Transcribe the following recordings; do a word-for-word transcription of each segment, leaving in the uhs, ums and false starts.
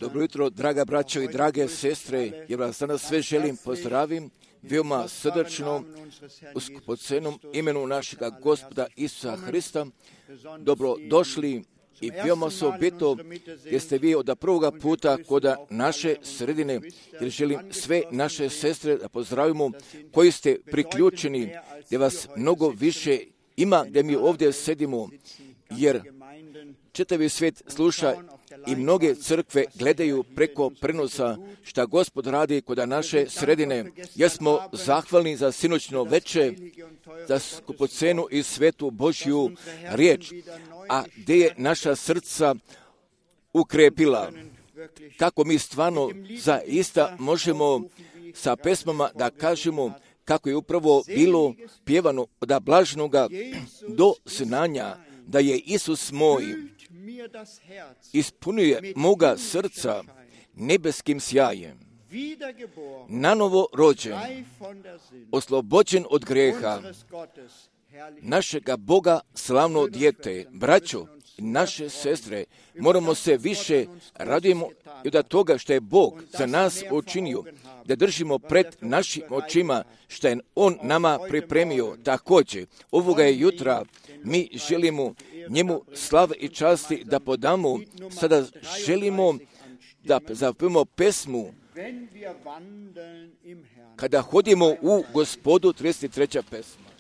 Dobro jutro, draga braćo i drage sestre, jer vas danas sve želim pozdravim, veoma srdačno, u skupocenom imenu našega Gospoda Isusa Hrista. Dobro došli i veoma osobito jer ste vi od prvoga puta kod naše sredine, jer želim sve naše sestre da pozdravimo koji ste priključeni, gdje vas mnogo više ima gdje mi ovdje sedimo, jer čitavi svijet sluša i mnoge crkve gledaju preko prenosa šta Gospod radi kod naše sredine. Jer smo zahvalni za sinoćno veče, za skupocenu i svetu Božju riječ, a gdje je naša srca ukrepila. Kako mi stvarno zaista možemo sa pesmama da kažemo kako je upravo bilo pjevano od blažnoga do znanja, da je Isus moj ispunuje moga srca nebeskim sjajem, nanovo rođen, oslobođen od grijeha, našega Boga slavno dijete. Braćo i naše sestre, moramo se više radujemo i od toga što je Bog za nas učinio, da držimo pred našim očima što je On nama pripremio. Također, ovoga je jutra mi želimo njemu slave i časti da podamo. Sada želimo da zapevamo pesmu Kada hodimo u Gospodu, trideset treća pesma.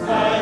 Sei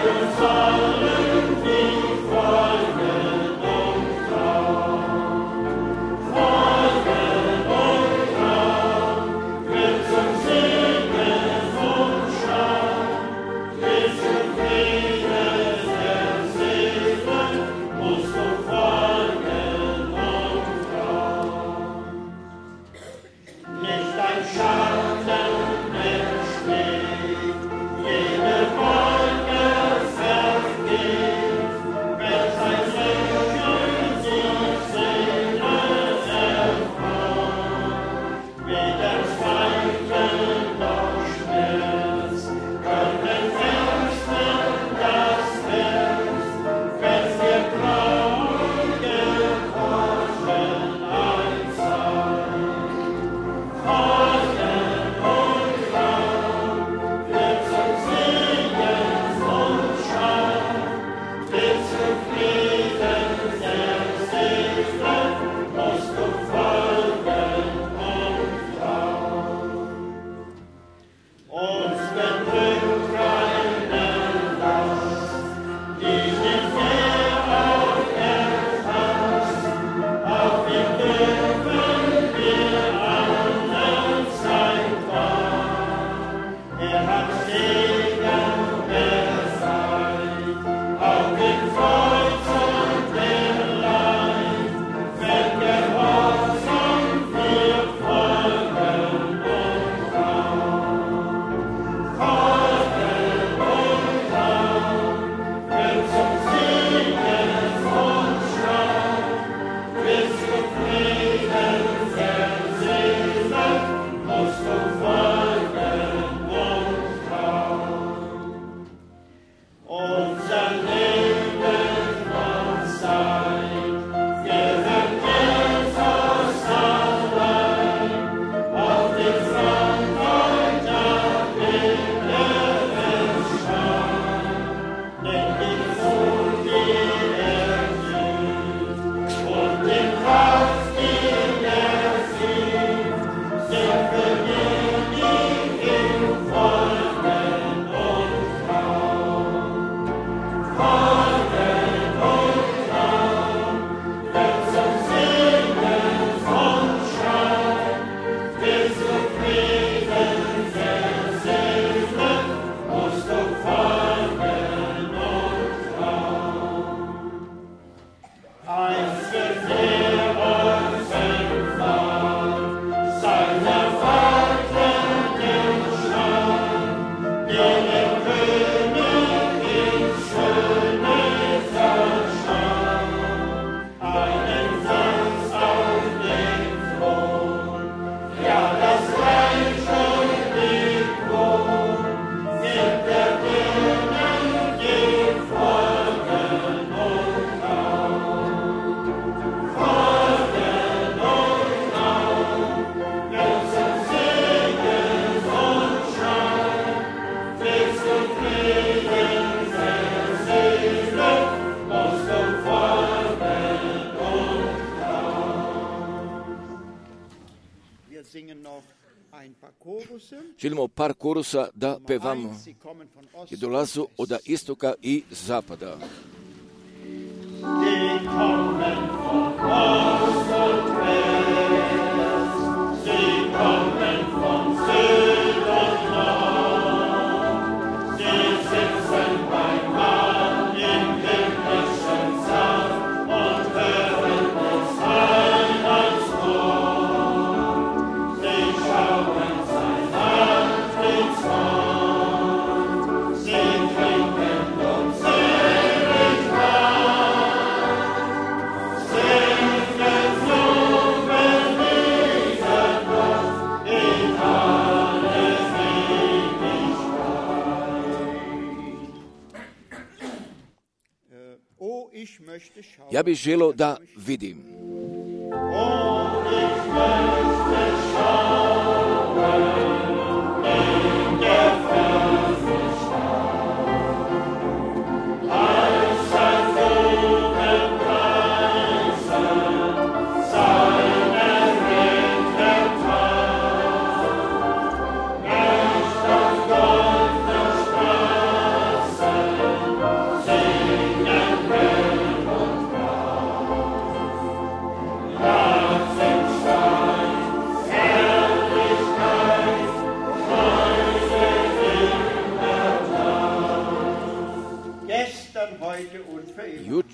Želimo par korusa da pevamo i dolazu od istoka i zapada. Die kommen von Ost und West, sie kommen von Süd und Nord, sie sitzen beim Mahl im himmlischen Saal und hören des Heilands Wort. Sie schauen sein Antlitz an, sie trinken und selig Ja bih želio da vidim. Jut.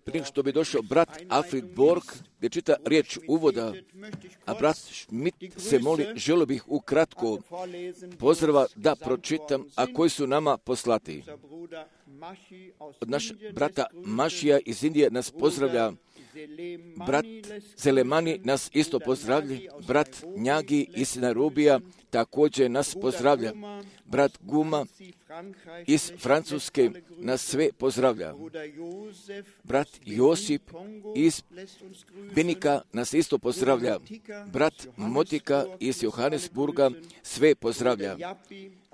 Prije što bi došao brat Alfred Borg, gdje čita riječ uvoda, a brat Schmidt se moli, želio bih ukratko pozdrava da pročitam, a koji su nama poslati. Od naš brata Mašija iz Indije nas pozdravlja, brat Zelemani nas isto pozdravlja, brat Njagi iz Nairobija također nas pozdravlja, brat Guma iz Francuske nas sve pozdravlja, brat Josip iz Benika nas isto pozdravlja, brat Motika iz Johannesburga sve pozdravlja,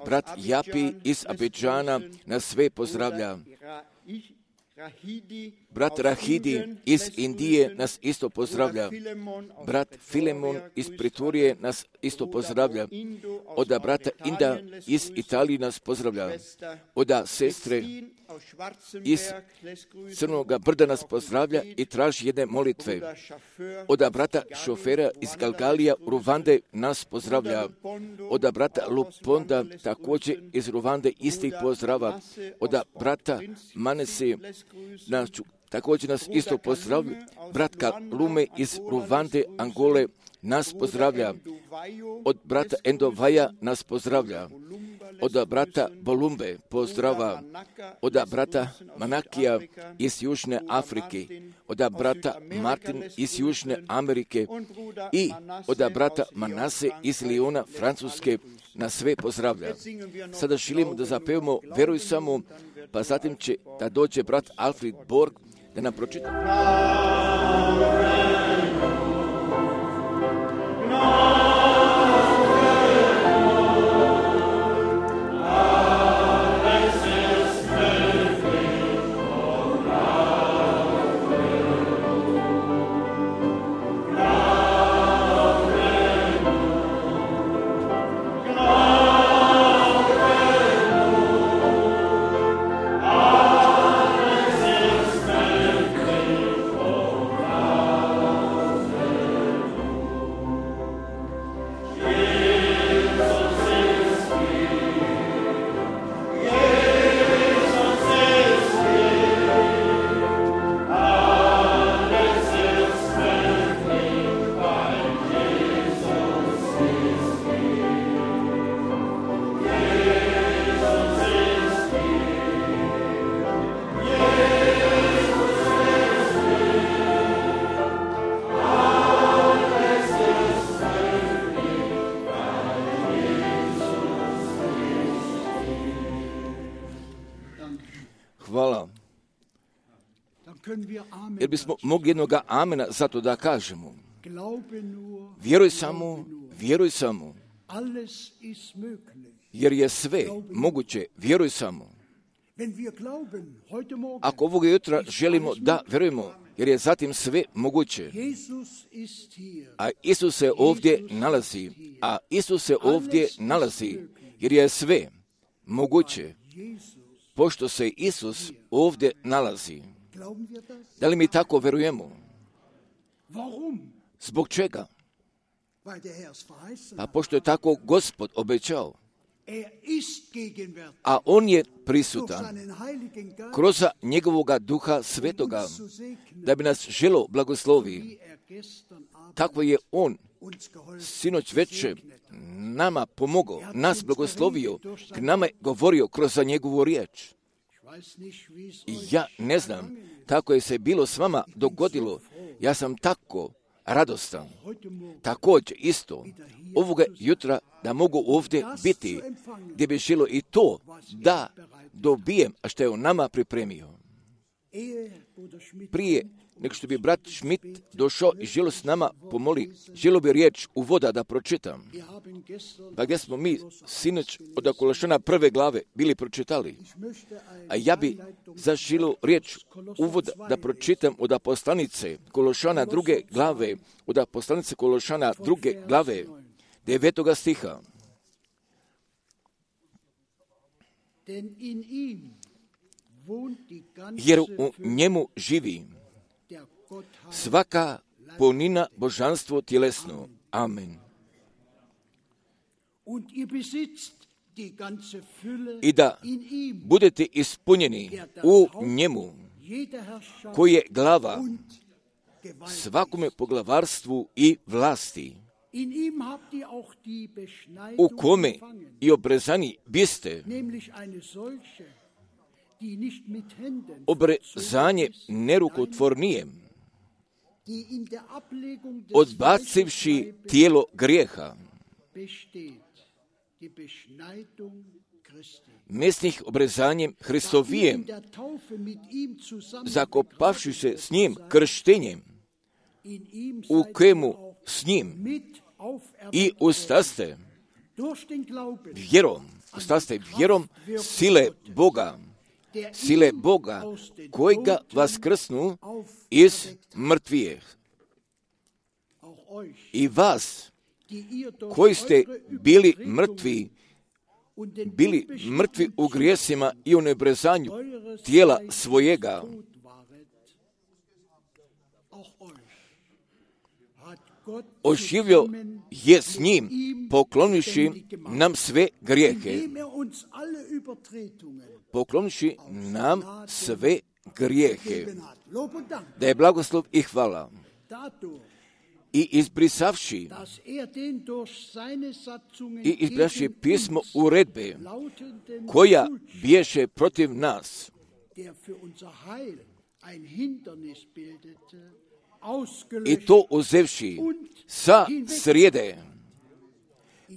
brat Japi iz Abidžana nas sve pozdravlja, brat Rahidi iz Indije nas isto pozdravlja, brat Filemon iz Pritorije nas isto pozdravlja, od brata Inda iz Italije nas pozdravlja, od sestre iz Crnoga brda nas pozdravlja i traži jedne molitve, od brata šofera iz Galgalija Ruvande nas pozdravlja, od brata Luponda također iz Ruvande istih pozdrava, od brata Manesi nas također nas isto pozdravlja, brat Kalume iz Ruvande, Angole nas pozdravlja, od brata Endovaja nas pozdravlja, od brata Bolumbe pozdrava, od brata Manakija iz Južne Afrike, od brata Martin iz Južne Amerike i od brata Manase iz Liona, Francuske, nas sve pozdravlja. Sada želimo da zapevamo Veruj samo, pa zatim će da dođe brat Alfred Borg da nam pročita. Oh jer bismo mogli jednoga amena zato da kažemo. Vjeruj samo, vjeruj samo, jer je sve moguće, vjeruj samo. Ako ovog jutra želimo da vjerujemo, jer je zatim sve moguće. A Isus se ovdje nalazi, a Isus se ovdje nalazi, jer je sve moguće, pošto se Isus ovdje nalazi. Da li mi tako vjerujemo? Zbog čega? Pa pošto je tako Gospod obećao. A on je prisutan kroz njegovoga duha svetoga, da bi nas želo blagoslovi. Tako je on sinoć večer nama pomogao, nas blagoslovio, k nama je govorio kroz njegovu riječ. I ja ne znam kako je se bilo s vama dogodilo, ja sam tako radostan. Također isto ovoga jutra da mogu ovdje biti, gdje bi želo i to da dobijem, a što je on nama pripremio. Prije nego što bi brat Schmidt došao i želo s nama pomoli, želo bi riječ uvoda da pročitam. Pa gdje smo mi sinoć od Kološana prve glave bili pročitali. A ja bi zaželio riječ uvoda da pročitam od poslanice Kološana druge glave, od poslanice Kološana druge glave, devetoga stiha. Jer u njemu živi svaka punina božanstvo tjelesno. Amen. I da budete ispunjeni u njemu, koji je glava svakome poglavarstvu i vlasti, u kome i obrezani biste, obrezanje nerukotvornije, odbacivši tijelo grijeha, mesnih obrezanjem Hristovijem, zakopavši se s njim krštenjem, u kojemu s njim i ustaste vjerom, ustaste vjerom sile Boga, sile Boga kojega vaskrsnu iz mrtvijeh. I vas, koji ste bili mrtvi, bili mrtvi u grijesima i u nebrezanju tijela svojega, oživio je s njim, pokloniši nam sve grijehe. Pokloniši nam sve grijehe. Da je blagoslov i hvala. I izbrisavši i izbrisavši pismo uredbe koja biješe protiv nas, i to uzevši sa srijede,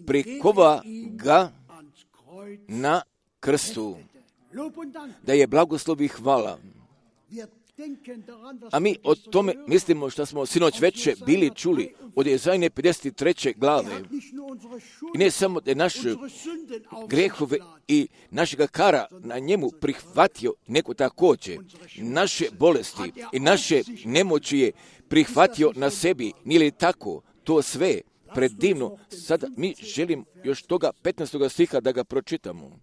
prikova ga na krstu. Da je blagoslov i hvala. A mi o tome mislimo što smo sinoć večer bili čuli od Jezajne pedeset treće glave. I ne samo da je naše grehove i našega kara na njemu prihvatio, nego također naše bolesti i naše nemoći je prihvatio na sebi. Nije li tako? To sve predivno. Sada mi želim još toga petnaestog stiha da ga pročitamo.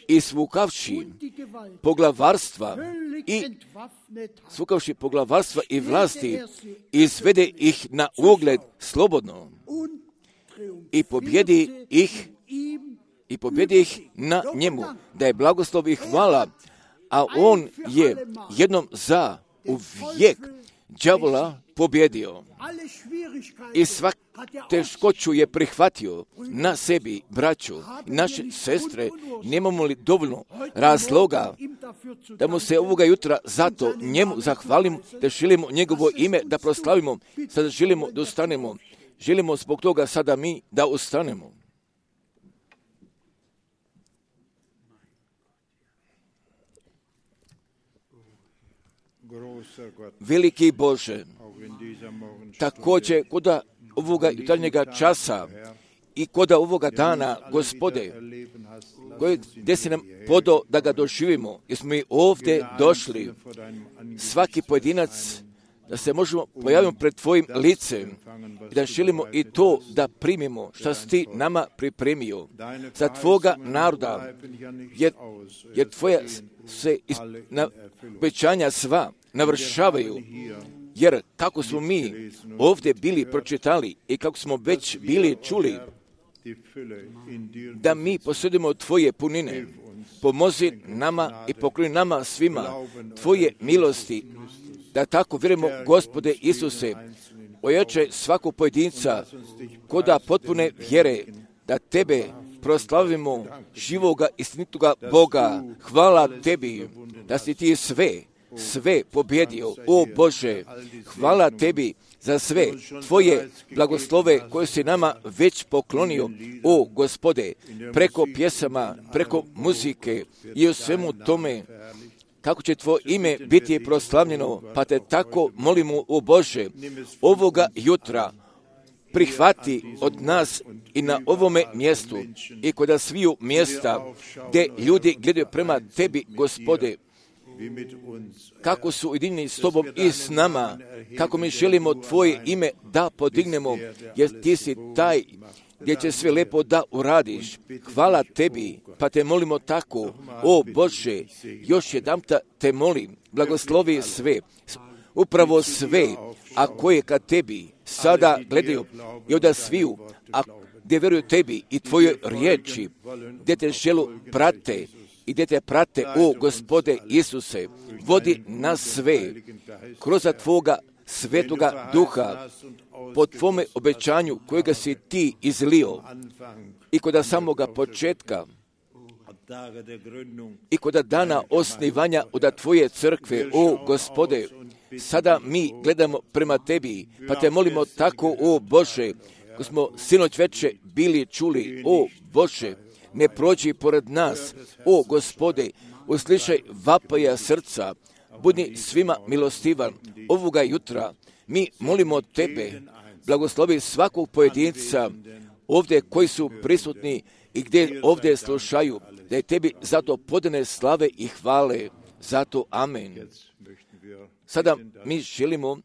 I svukavši poglavarstva i svukavši poglavarstva i vlasti, izvede ih na ugled slobodno i pobjedi ih i pobjedi ih na njemu. Da je blagoslov i hvala, a on je jednom za uvijek đavola pobjedio. I svaku teškoću je prihvatio na sebi, braću, naše sestre. Nemamo li dovoljno razloga da mu se ovoga jutra zato njemu zahvalimo, da želimo njegovo ime da proslavimo, sada želimo da ustanemo. Želimo zbog toga sada mi da ustanemo. Veliki Bože, također kod ovoga jutarnjega časa i kod ovoga dana, Gospode, koji gdje si nam podao da ga doživimo, jer smo mi ovdje došli, svaki pojedinac, da se možemo pojaviti pred Tvojim licem i da želimo i to da primimo što si Ti nama pripremio za Tvoga naroda, jer, jer Tvoja se is, na, obećanja sva navršavaju, jer kako smo mi ovdje bili pročitali i kako smo već bili čuli, da mi posjedimo Tvoje punine, pomozi nama i pokloni nama svima Tvoje milosti, da tako vjerujemo, Gospode Isuse, ojačaj svakog pojedinca koda potpune vjere, da Tebe proslavimo, živoga istinitoga Boga. Hvala Tebi da si Ti sve, sve pobjedio, o Bože. Hvala Tebi za sve Tvoje blagoslove koje si nama već poklonio, o Gospode, preko pjesama, preko muzike i u svemu tome, kako će Tvoje ime biti proslavljeno, pa Te tako molimo, o Bože, ovoga jutra prihvati od nas i na ovome mjestu i kod sviju mjesta gdje ljudi gledaju prema Tebi, Gospode, kako su ujedinjeni s Tobom i s nama, kako mi želimo Tvoje ime da podignemo, jer Ti si taj gdje će sve lepo da uradiš. Hvala Tebi, pa Te molimo tako, o Bože, još jedanputa Te molim, blagoslovi sve, upravo sve, a koje ka Tebi sada gledaju i od sviju, a gdje vjeruju Tebi i Tvojoj riječi, gdje Te želu prate i gdje Te prate, o Gospode Isuse, vodi nas sve kroz Tvoga Svetoga Duha, po Tvome obećanju kojega si Ti izlio i kod samoga početka i kod dana osnivanja od Tvoje crkve, o Gospode, sada mi gledamo prema Tebi, pa Te molimo tako, o Bože, ko smo sinoć veče bili čuli, o Bože, ne prođi pored nas, o Gospode, uslišaj vapaja srca, budi svima milostivan. Ovoga jutra mi molimo Tebe, blagoslovi svakog pojedinca ovdje koji su prisutni i gdje ovdje slušaju, da je Tebi zato podane slave i hvale. Zato amen. Sada mi želimo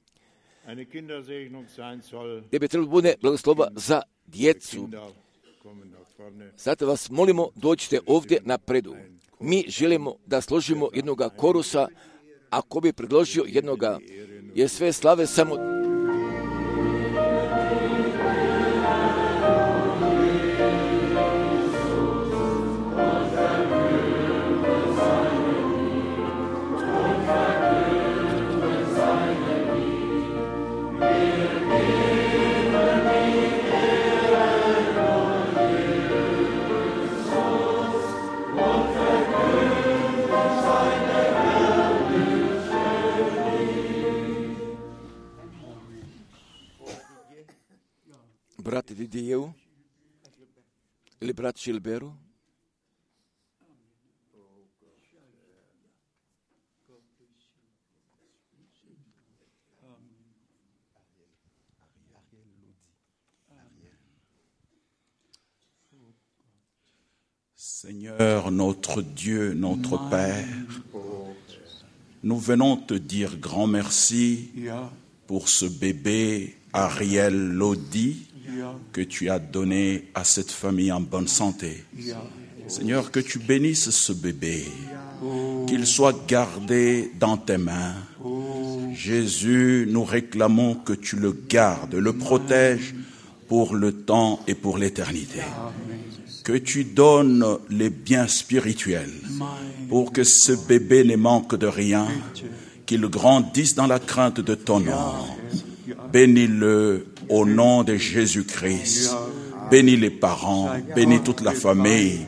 da bi trebalo bude blagoslova za djecu. Zato vas molimo, dođite ovdje napredu. Mi želimo da složimo jednoga korusa, ako bi predložio jednoga, jer sve slave samo... Brat Didiju ili brat Šilberu? Seigneur, notre Dieu, notre Père, nous venons te dire grand merci pour ce bébé Ariel Lodi que tu as donné à cette famille en bonne santé. Seigneur, que tu bénisses ce bébé, qu'il soit gardé dans tes mains. Jésus, nous réclamons que tu le gardes, le protèges pour le temps et pour l'éternité. Que tu donnes les biens spirituels pour que ce bébé ne manque de rien, qu'il grandisse dans la crainte de ton nom. Bénis-le au nom de Jésus-Christ. Bénis les parents, bénis toute la famille.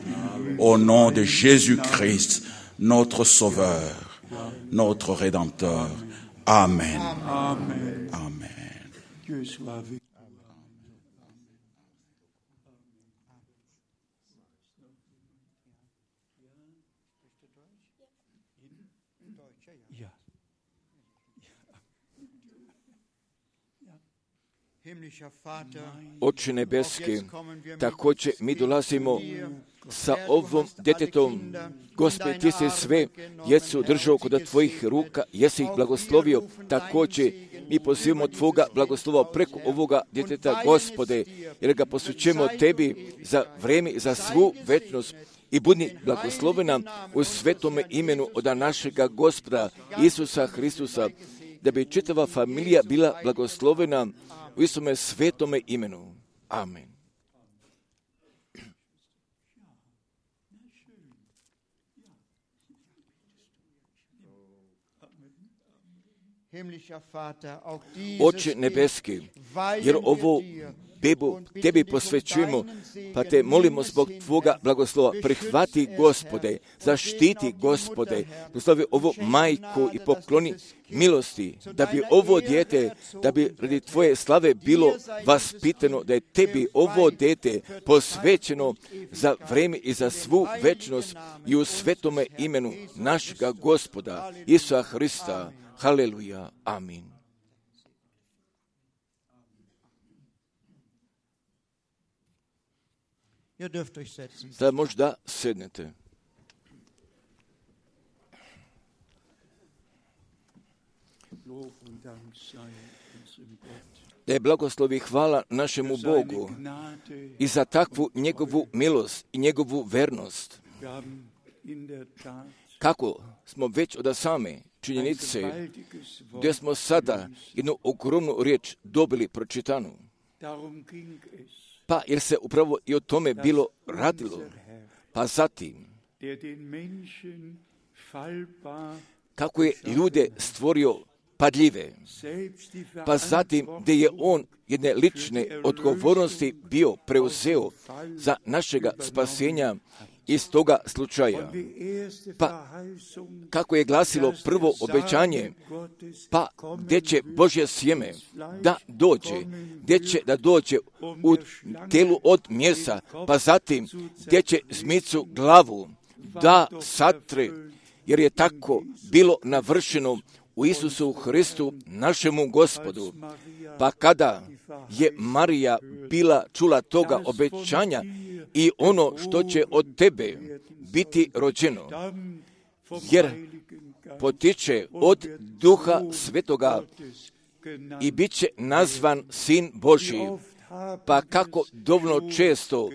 Au nom de Jésus-Christ, notre Sauveur, notre Rédempteur. Amen. Amen. Amen. Oče nebeski, također mi dolazimo sa ovom djetetom. Gospod, ti si sve djecu držao kod tvojih ruka, jesi ih blagoslovio. Također mi pozivamo tvoga blagoslova preko ovoga djeteta, Gospode, jer ga posvećujemo tebi za vrijeme i za svu večnost. I budi blagoslovena u svetome imenu od našega Gospoda Isusa Hristusa, da bi čitava familija bila blagoslovena u istome svetome imenu. Amen. Oče nebeski, jer ovo bebu tebi posvećujemo, pa te molimo zbog tvoga blagoslova. Prihvati, Gospode, zaštiti, Gospode, blagoslovi ovu majku i pokloni milosti, da bi ovo dijete, da bi radi tvoje slave bilo vaspitano, da je tebi ovo dijete posvećeno za vrijeme i za svu večnost i u svetome imenu našega Gospoda Isusa Hrista. Haleluja. Amin. Sada možda sednete. Da je blagoslovi hvala našemu Bogu i za takvu njegovu milost i njegovu vernost. Kako smo već od same činjenice, gdje smo sada jednu ogromnu riječ dobili pročitanu. Pa jer se upravo i o tome bilo radilo. Pa zatim, kako je ljude stvorio padljive, pa zatim gdje je on jedne lične odgovornosti bio preuzeo za našega spasenja iz toga slučaja. Pa kako je glasilo prvo obećanje, pa gdje će Božje sjeme da dođe, gdje će da dođe u telu od mjesa, pa zatim gdje će zmicu glavu da satre, jer je tako bilo navršeno u Isusu Hristu, našemu Gospodu. Pa kada je Marija bila čula toga obećanja i ono što će od tebe biti rođeno, jer potiče od Duha Svetoga i bit će nazvan Sin Božji. Pa kako dovoljno često,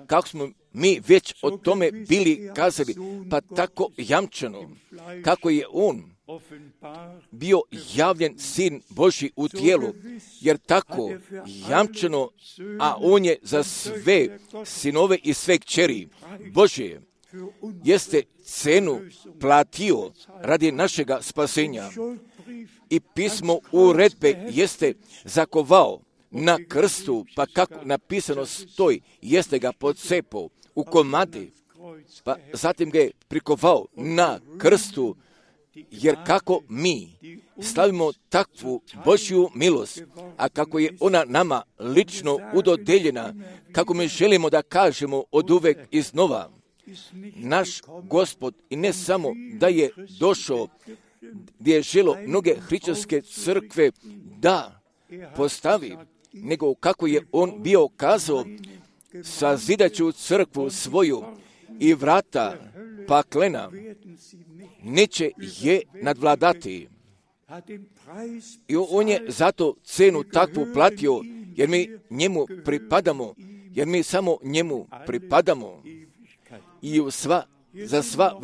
kako smo mi već o tome bili kazali, pa tako jamčeno, kako je on bio javljen Sin Božji u tijelu, jer tako jamčeno, a on je za sve sinove i sve kćeri Božje, jeste cenu platio radi našega spasenja. I pismo uredbe jeste zakovao na krstu, pa kako napisano stoji, jeste ga pocepao u komadi, pa zatim ga je prikovao na krstu, jer kako mi slavimo takvu Božju milost, a kako je ona nama lično udodeljena, kako mi želimo da kažemo od uvek iznova, naš Gospod i ne samo da je došao gdje je želo mnoge hrišćanske crkve da postavi, nego kako je on bio kazao, sazidaću crkvu svoju i vrata paklena neće je nadvladati. I on je zato cenu takvu platio, jer mi njemu pripadamo, jer mi samo njemu pripadamo. I u sva, za, sva,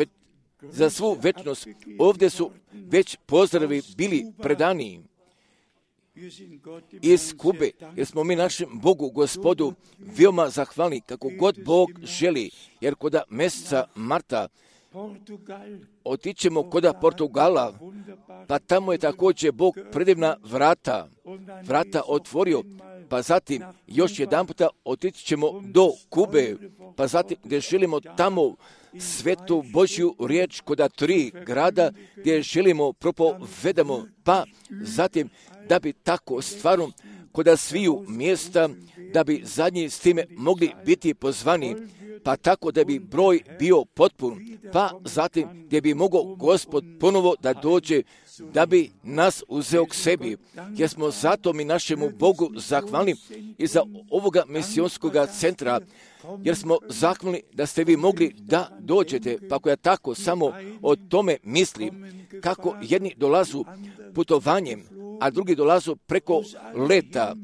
za svu večnost ovdje su već pozdravi bili predani iz Kube, jer smo mi našem Bogu, Gospodu, veoma zahvalni kako god Bog želi, jer koda mjeseca marta otićemo koda Portugala, pa tamo je također Bog predivna vrata, vrata otvorio, pa zatim još jedan puta otići ćemo do Kube, pa zatim gdje želimo tamo svetu Božju riječ koda tri grada gdje želimo propovedamo, pa zatim da bi tako stvarno koda sviju mjesta, da bi zadnji s time mogli biti pozvani, pa tako da bi broj bio potpun, pa zatim gdje bi mogao Gospod ponovo da dođe, da bi nas uzeo k sebi, jer smo zato mi našemu Bogu zahvalni i za ovoga misionskog centra, jer smo zahvalni da ste vi mogli da dođete, pa ako ja tako samo o tome mislim, kako jedni dolazu putovanjem, a drugi dolazu preko leta,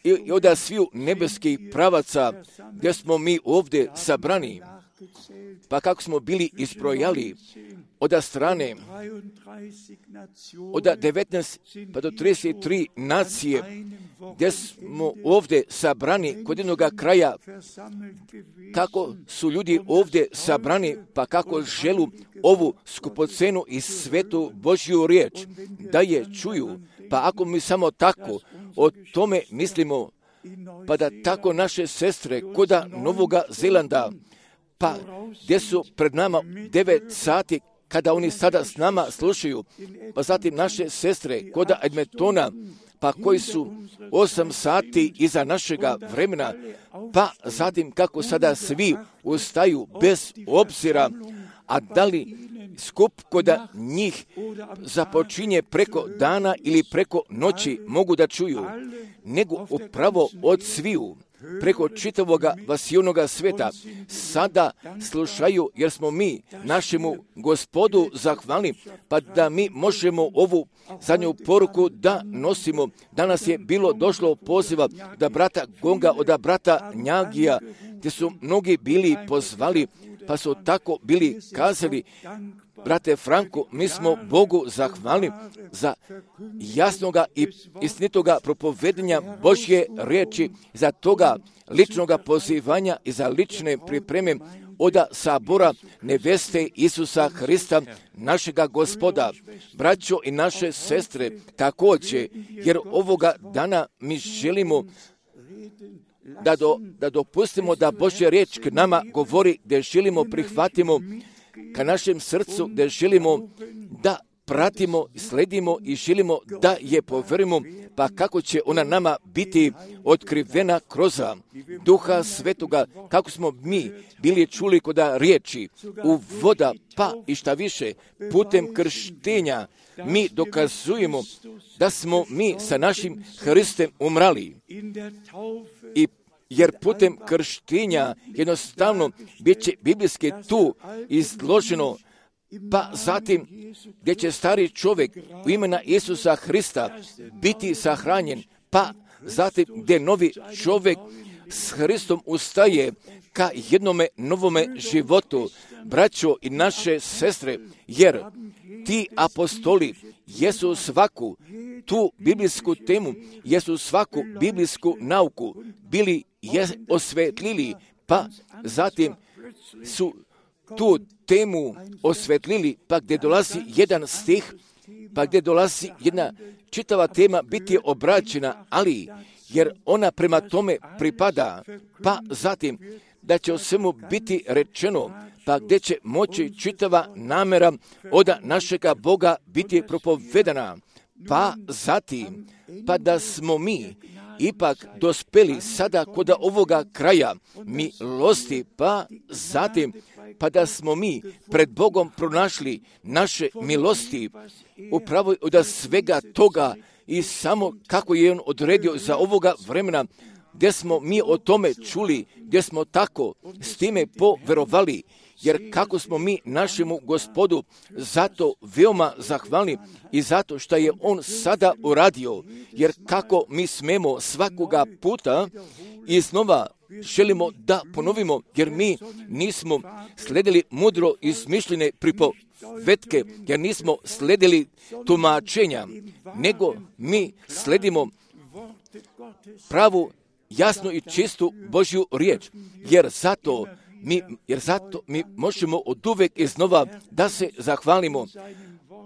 i od sviju nebeskih pravaca gdje smo mi ovdje sabrani, pa kako smo bili isbrojali od strane od devetnaest pa do trideset tri nacije gdje smo ovdje sabrani kod jednog kraja, kako su ljudi ovdje sabrani, pa kako želu ovu skupocenu i svetu Božju riječ da je čuju, pa ako mi samo tako o tome mislimo, pa da tako naše sestre koda Novoga Zelanda, pa gdje su pred nama devet sati, kada oni sada s nama slušaju, pa zatim naše sestre koda Edmontona, pa koji su osam sati iza našega vremena, pa zatim kako sada svi ustaju bez obzira, a da li skup koda njih započinje preko dana ili preko noći mogu da čuju, nego upravo od sviju, preko čitavoga vasijonoga sveta, sada slušaju, jer smo mi našemu Gospodu zahvalni, pa da mi možemo ovu zadnju poruku da nosimo. Danas je bilo došlo poziva da brata Gonga, od brata Njagija, gdje su mnogi bili pozvali, pa su tako bili kazali: brate Franko, mi smo Bogu zahvalni za jasnoga i istinitoga propovedanja Božje riječi, za toga ličnoga pozivanja i za lične pripreme od sabora neveste Isusa Hrista, našega Gospoda. Braćo i naše sestre, također, jer ovoga dana mi želimo da, do, da dopustimo da Božja riječ k nama govori, da želimo prihvatimo ka našem srcu, da želimo da pratimo, sledimo i želimo da je poverimo, pa kako će ona nama biti otkrivena kroz Duha Svetoga, kako smo mi bili čuli kod riječi u voda, pa i šta više, putem krštenja mi dokazujemo da smo mi sa našim Hristem umrali. I jer putem krštenja jednostavno bit će biblijski tu izloženo, pa zatim gdje će stari čovjek u imena Isusa Hrista biti sahranjen, pa zatim gdje novi čovjek s Hristom ustaje ka jednome novome životu. Braćo i naše sestre, jer ti apostoli jesu svaku tu biblijsku temu, jesu svaku biblijsku nauku bili je osvetlili, pa zatim su tu temu osvetlili, pa gdje dolazi jedan stih, pa gdje dolazi jedna čitava tema biti obrađena, ali jer ona prema tome pripada, pa zatim da će o svemu biti rečeno, pa gdje će moći čitava namjera od našega Boga biti propovedana, pa zatim, pa da smo mi ipak dospeli sada kod ovoga kraja milosti, pa zatim, pa da smo mi pred Bogom pronašli naše milosti, upravo od svega toga i samo kako je On odredio za ovoga vremena, gdje smo mi o tome čuli, gdje smo tako s time poverovali, jer kako smo mi našemu Gospodu zato veoma zahvalni i zato što je On sada uradio, jer kako mi smemo svakoga puta iznova želimo da ponovimo, jer mi nismo sledili mudro izmišljene pripovetke, jer nismo sledili tumačenja, nego mi sledimo pravu, jasnu i čistu Božju riječ, jer zato mi, jer zato mi možemo od uvek iznova da se zahvalimo,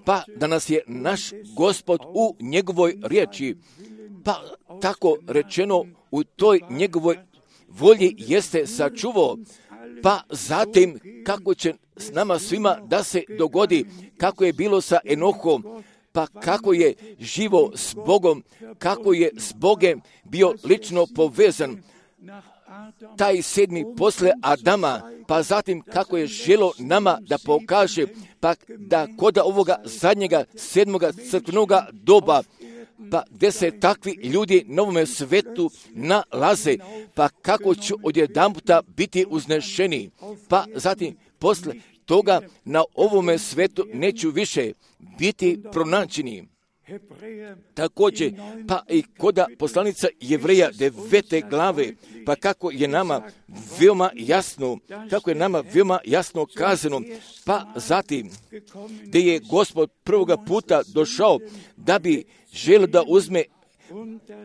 pa da nas je naš Gospod u njegovoj riječi, pa tako rečeno u toj njegovoj volji jeste sačuvao, pa zatim kako će s nama svima da se dogodi, kako je bilo sa Enohom, pa kako je živo s Bogom, kako je s Bogom bio lično povezan, taj sedmi posle Adama, pa zatim kako je želo nama da pokaže, pa da kod ovoga zadnjega sedmoga crkvenoga doba, pa gdje se takvi ljudi na ovome svetu nalaze, pa kako će odjedanputa biti uznešeni, pa zatim posle toga na ovome svetu neću više biti pronađeni. Također, pa i koda poslanica Jevreja devete glave, pa kako je nama veoma jasno, kako je nama veoma jasno kazano, pa zatim, gdje je Gospod prvoga puta došao da bi želio da uzme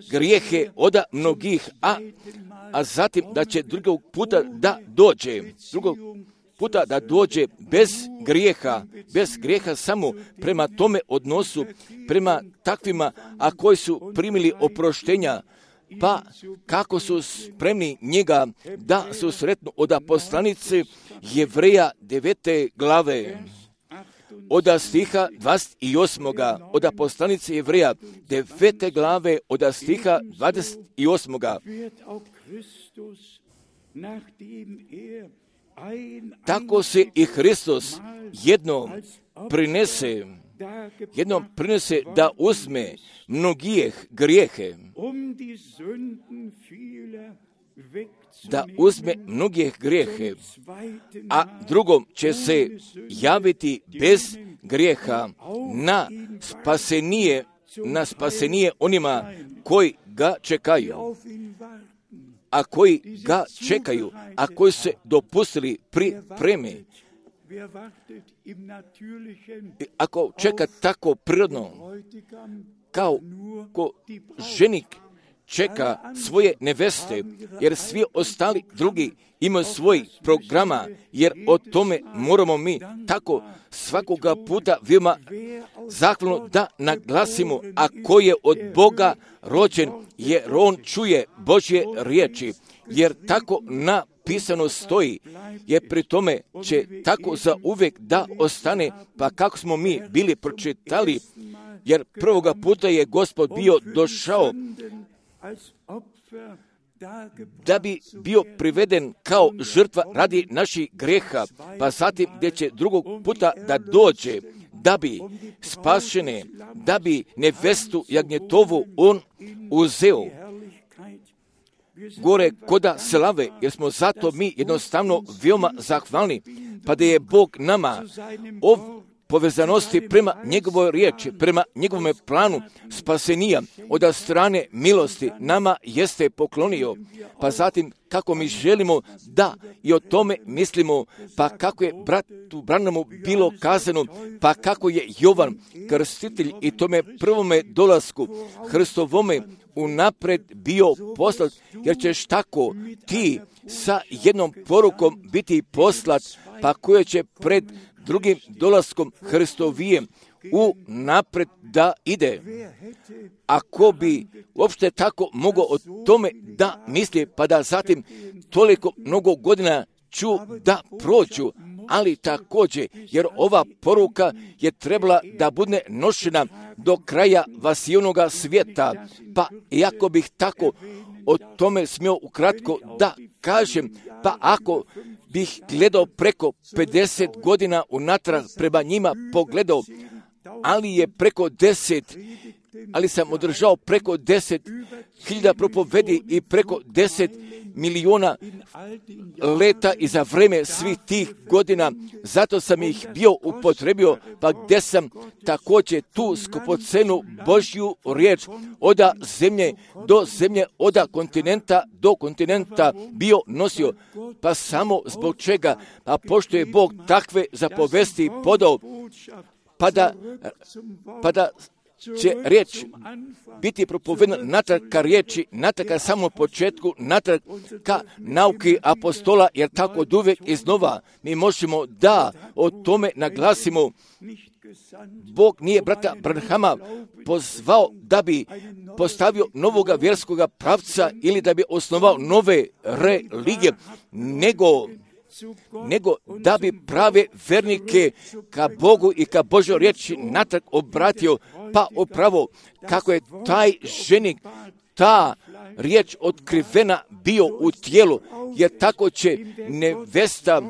grijehe od mnogih, a, a zatim da će drugog puta da dođe, drugog puta da dođe bez grijeha, bez grijeha samo prema tome odnosu, prema takvima, a koji su primili oproštenja, pa kako su spremni njega da su sretno od poslanice Jevreja devete glave, od stiha dvadeset osam. Od poslanice Jevreja devete glave, od stiha dvadeset osam. Tako se i Hristos jednom prinese, jednom prinese da uzme mnogijeh grijehe, da uzme mnogijeh grijehe, a drugom će se javiti bez grijeha na spasenije, na spasenije onima koji ga čekaju. A koji ga čekaju, a koji se dopustili pripreme. Ako čeka tako prirodno, kao ko ženik čeka svoje neveste, jer svi ostali drugi imaju svoj programa, jer o tome moramo mi tako svakoga puta veoma zahvalno da naglasimo, a ko je od Boga rođen, jer on čuje Božje riječi, jer tako napisano stoji, jer pri tome će tako za uvijek da ostane, pa kako smo mi bili pročitali, jer prvoga puta je Gospod bio došao da bi bio priveden kao žrtva radi naših greha, pa zatim gdje će drugog puta da dođe, da bi spašene, da bi nevestu jagnjetovu on uzeo gore koda slave, jer smo zato mi jednostavno veoma zahvalni, pa da je Bog nama ov povezanosti prema njegovoj riječi, prema njegovom planu spasenija od strane milosti nama jeste poklonio, pa zatim kako mi želimo da i o tome mislimo, pa kako je bratu Branamu bilo kazano, pa kako je Jovan krstitelj i tome prvome dolasku Hristovome unapred bio poslat, jer ćeš tako ti sa jednom porukom biti poslat, pa koja će pred drugim dolaskom Hristovijem u napred da ide. Ako bi uopšte tako mogao o tome da misli, pa da zatim toliko mnogo godina ću da prođu, ali također, jer ova poruka je trebala da bude nošena do kraja vasijonoga svijeta, pa iako bih tako o tome smio ukratko da kažem, pa ako bih gledao preko pedeset godina unatrag prema njima pogledao, ali je preko deset, ali sam održao preko deset hiljada propovedi i preko deset miliona leta i za vreme svih tih godina, zato sam ih bio upotrebio, pa gdje sam također tu skupocenu Božju riječ od zemlje do zemlje, od kontinenta do kontinenta bio nosio, pa samo zbog čega, pa pošto je Bog takve zapovesti podao, pa da, pa da će riječ biti propovedna natrag ka riječi, natrag ka samom početku, natrag ka nauki apostola, jer tako od uvijek iznova mi možemo da o tome naglasimo. Bog nije brata Branhama pozvao da bi postavio novoga vjerskoga pravca ili da bi osnovao nove religije, nego nego da bi prave vernike ka Bogu i ka Božoj riječi natrag obratio, pa upravo kako je taj ženik, ta riječ otkrivena bio u tijelu, jer tako će nevesta,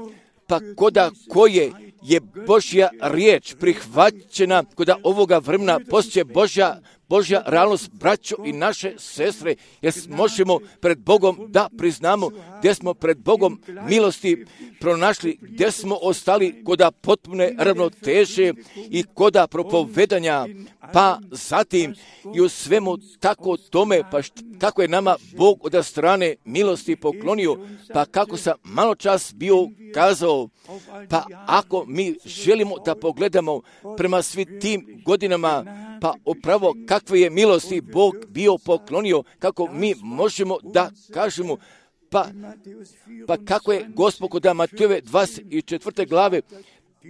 pa koda koje je Božja riječ prihvaćena, koda ovoga vremena postoje Božja, Božja realnost, braćo i naše sestre, jer možemo pred Bogom da priznamo gdje smo pred Bogom milosti pronašli, gdje smo ostali koda potpune ravnoteže i koda propovedanja, pa zatim i u svemu tako tome, pa št, kako je nama Bog od strane milosti poklonio, pa kako sam malo čas bio kazao, pa ako mi želimo da pogledamo prema svim tim godinama, pa upravo kakve je milosti Bog bio poklonio, kako mi možemo da kažemo, pa, pa kako je Gospod kod Matejove dvadeset četvrte glave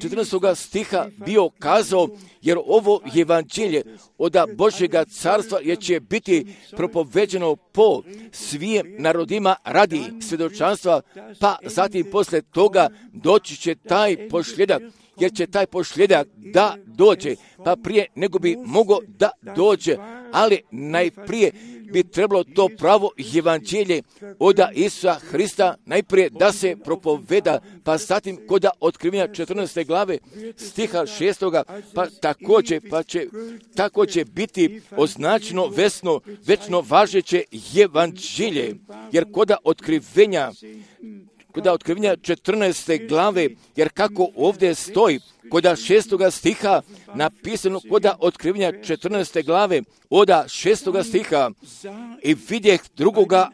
četrnaestog stiha bio kazao, jer ovo evanđelje od Božjega carstva je će biti propoveđeno po svim narodima radi svjedočanstva, pa zatim posle toga doći će taj pošljedak, jer će taj pošljedak da dođe, pa prije nego bi mogao da dođe, ali najprije bi trebalo to pravo evanđelje od Isusa Hrista najprije da se propoveda, pa zatim kod otkrivenja četrnaeste glave stiha šestoga, pa također, pa će, tako će biti označeno vesno, večno važeće evanđelje, jer kod otkrivenja kod otkrivenja četrnaeste glave, jer kako ovdje stoji, kod šestoga stiha napisano, kod otkrivenja četrnaeste glave, od šestoga stiha, i vidjeh drugoga,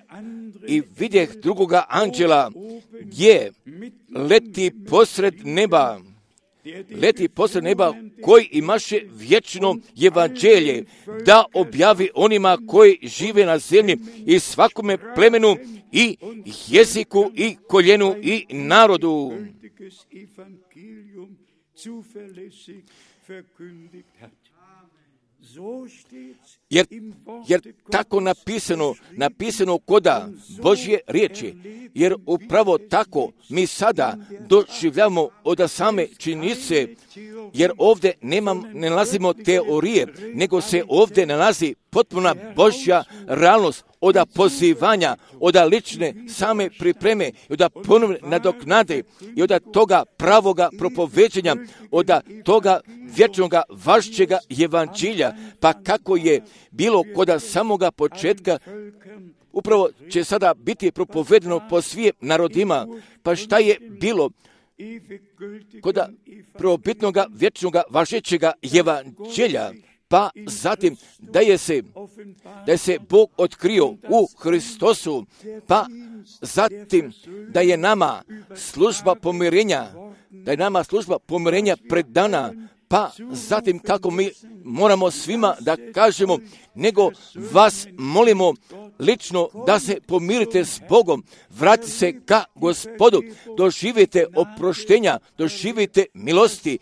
i vidjeh drugoga anđela, gdje leti posred neba, leti posred neba, koji imaše vječno evanđelje, da objavi onima koji žive na zemlji i svakome plemenu i jeziku i koljenu i narodu. Jer, jer tako napisano, napisano koda Božje riječi, jer upravo tako mi sada doživljamo od same činjenice, jer ovdje nemam, ne nalazimo teorije, nego se ovdje nalazi potpuna Božja realnost od pozivanja, od lične same pripreme, od ponovne nadoknade i od toga pravoga propoveđenja, od toga vječnoga važećega evanđelja, pa kako je bilo kod samoga početka, upravo će sada biti propovedeno po svim narodima. Pa šta je bilo kod prvobitnoga vječnoga važećega evanđelja? Pa zatim da je se, da je se Bog otkrio u Hristosu, pa zatim da je nama služba pomirenja, da je nama služba pomirenja predana, pa zatim kako mi moramo svima da kažemo, nego vas molimo lično da se pomirite s Bogom, vratite se ka Gospodu, doživite oproštenja, doživite milosti,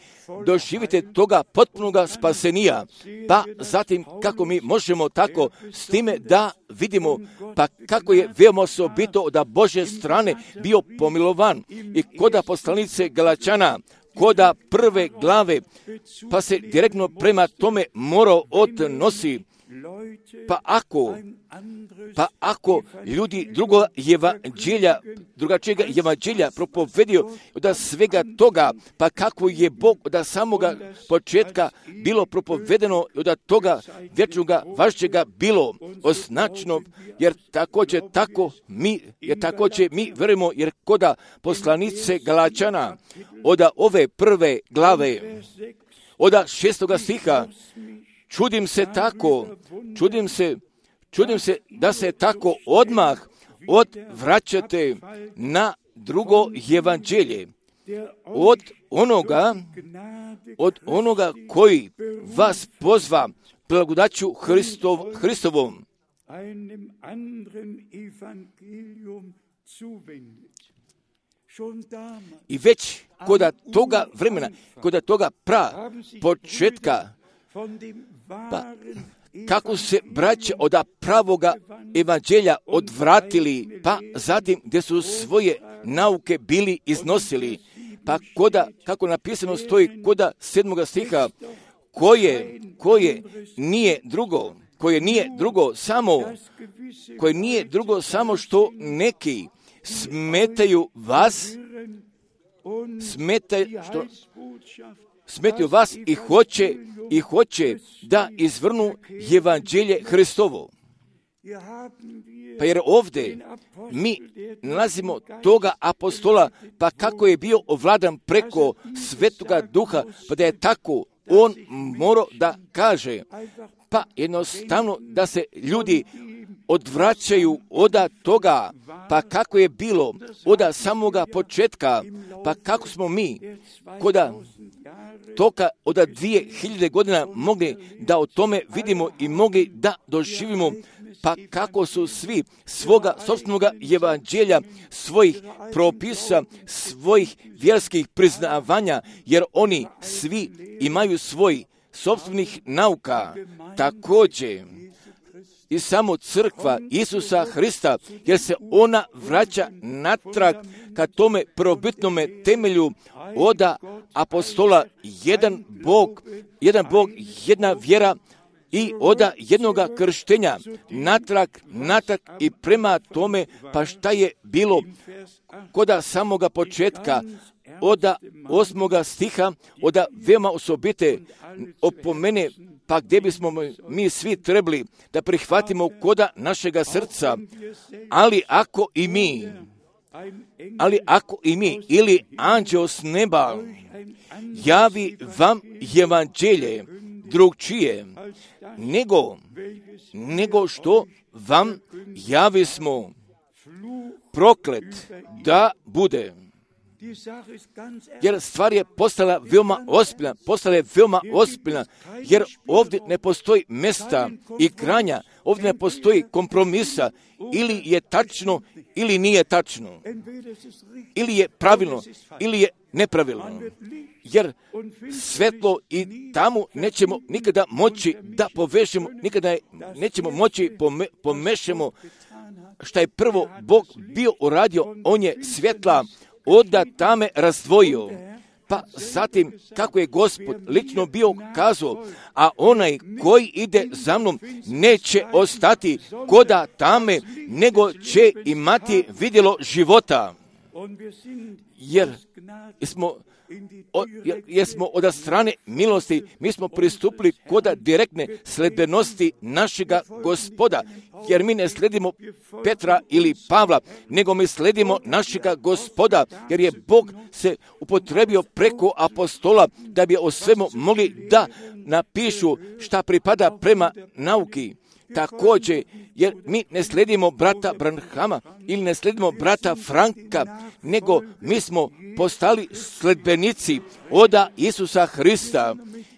doživite toga potpunoga spasenija, pa zatim kako mi možemo tako s time da vidimo, pa kako je veoma osobito od Božje strane bio pomilovan i koda poslanice Galačana, koda prve glave, pa se direktno prema tome morao odnosi. Pa ako, pa ako ljudi drugog evanđelja, drugačijega evanđelja propovedio od svega toga, pa kako je Bog od samoga početka bilo propovedeno od toga vječnoga važećega bilo označeno, jer također tako mi, jer također mi verujemo, jer koda poslanice Galačana od ove prve glave, od šestoga stiha, čudim se tako, čudim se, čudim se da se tako odmah odvraćate na drugo evanđelje, od onoga, od onoga koji vas pozva blagodaću Hristov, Hristovom. I već koda toga vremena, koda toga pra početka, pa kako se braća od pravoga evanđelja odvratili, pa zatim gdje su svoje nauke bili iznosili, pa koda, kako napisano stoji koda sedmoga stiha, koje, koje nije drugo, koje nije drugo samo, koje nije drugo samo što neki smetaju vas, smetaju, što, smetaju vas i hoće, i hoće da izvrnu evanđelje Hristovo. Pa jer ovdje mi nalazimo toga apostola, pa kako je bio ovladan preko Svetoga Duha, pa da je tako on morao da kaže, pa jednostavno da se ljudi odvraćaju od toga, pa kako je bilo od samoga početka, pa kako smo mi koda toka od dvije hiljade godina mogli da o tome vidimo i mogli da doživimo, pa kako su svi svoga sopstvenoga evanđelja, svojih propisa, svojih vjerskih priznavanja, jer oni svi imaju svoj sopstvenih nauka, također i samo crkva Isusa Hrista, jer se ona vraća natrag ka tome prvobitnome temelju oda apostola, jedan Bog, jedan Bog, jedna vjera i oda jednoga krštenja, natrag, natrag i prema tome, pa šta je bilo koda samoga početka, oda osmoga stiha, oda veoma osobite opomene, pa gdje bismo mi svi trebali da prihvatimo koda našega srca, ali ako i mi, ali ako i mi, ili anđeo s neba, javi vam evanđelje drugčije, nego, nego što vam javi smo, proklet da bude. Jer stvar je postala veoma ozbiljna, postala je veoma ozbiljna, jer ovdje ne postoji mjesta i kranja, ovdje ne postoji kompromisa, ili je tačno, ili nije tačno, ili je pravilno, ili je nepravilno, jer svetlo i tamo nećemo nikada moći da povežemo, nikada nećemo moći pome, pomešamo šta je prvo Bog bio uradio, on je svjetla oda tame razdvojio, pa zatim kako je Gospod lično bio kazao, a onaj koji ide za mnom neće ostati koda tame, nego će imati vidjelo života. Jer smo, o, jer smo od strane milosti, mi smo pristupili koda direktne sledbenosti našega Gospoda, jer mi ne sledimo Petra ili Pavla, nego mi sledimo našega Gospoda, jer je Bog se upotrebio preko apostola da bi o svemu mogli da napišu šta pripada prema nauki. Također, jer mi ne sledimo brata Branhama ili ne sledimo brata Franka, nego mi smo postali sledbenici oda Isusa Hrista,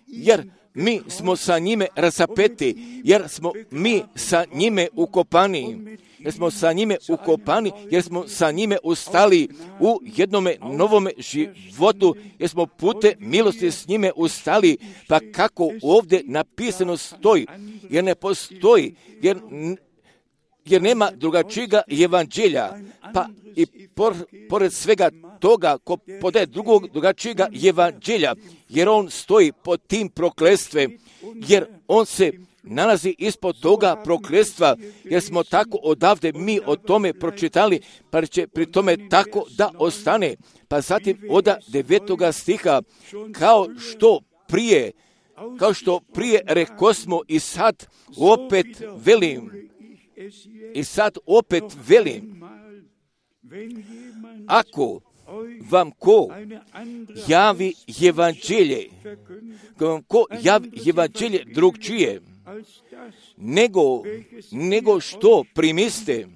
jer mi smo sa njime razapeti, jer smo mi sa njime ukopani, jer smo sa njime ukopani, jer smo sa njime ustali u jednome novome životu, jer smo pute milosti s njime ustali, pa kako ovdje napisano stoji, jer ne postoji, jer, jer nema drugačijega evanđelja, pa i por, pored svega toga ko podaje drugog drugačijega evanđelja, jer on stoji pod tim prokletstvom, jer on se nalazi ispod toga prokletstva, jer smo tako odavde mi o tome pročitali, pa će pri tome tako da ostane. Pa zatim oda devetoga stiha, kao što prije, kao što prije rekosmo i sad opet velim, i sad opet velim, ako vam ko javi evanđelje, vam ko javi evanđelje drugčije, nego, nego što primiste,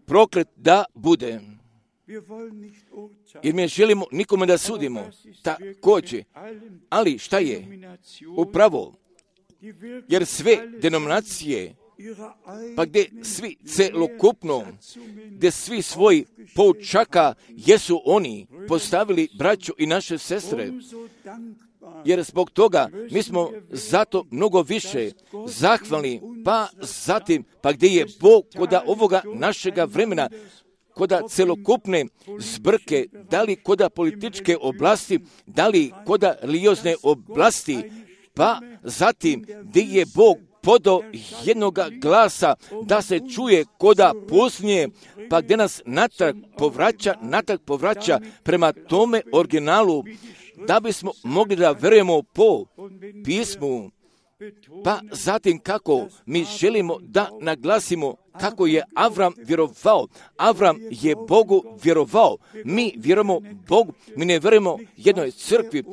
proklet da bude. Jer mi želimo nikome da sudimo, također, ali šta je upravo, jer sve denominacije, pa gdje svi celokupno, gdje svi svoj poučaka jesu oni postavili braću i naše sestre, jer zbog toga mi smo zato mnogo više zahvalni, pa zatim, pa gdje je Bog koda ovoga našega vremena koda celokupne zbrke, da li koda političke oblasti, da li koda religiozne oblasti, pa zatim gdje je Bog podao jednoga glasa da se čuje koda pustinje, pa gdje nas natrag povraća, natrag povraća prema tome originalu, da bismo mogli da verujemo po pismu. Pa zatim kako mi želimo da naglasimo kako je Avram vjerovao. Avram je Bogu vjerovao. Mi vjerujemo Bogu, mi ne vjerujemo jednoj crkvi.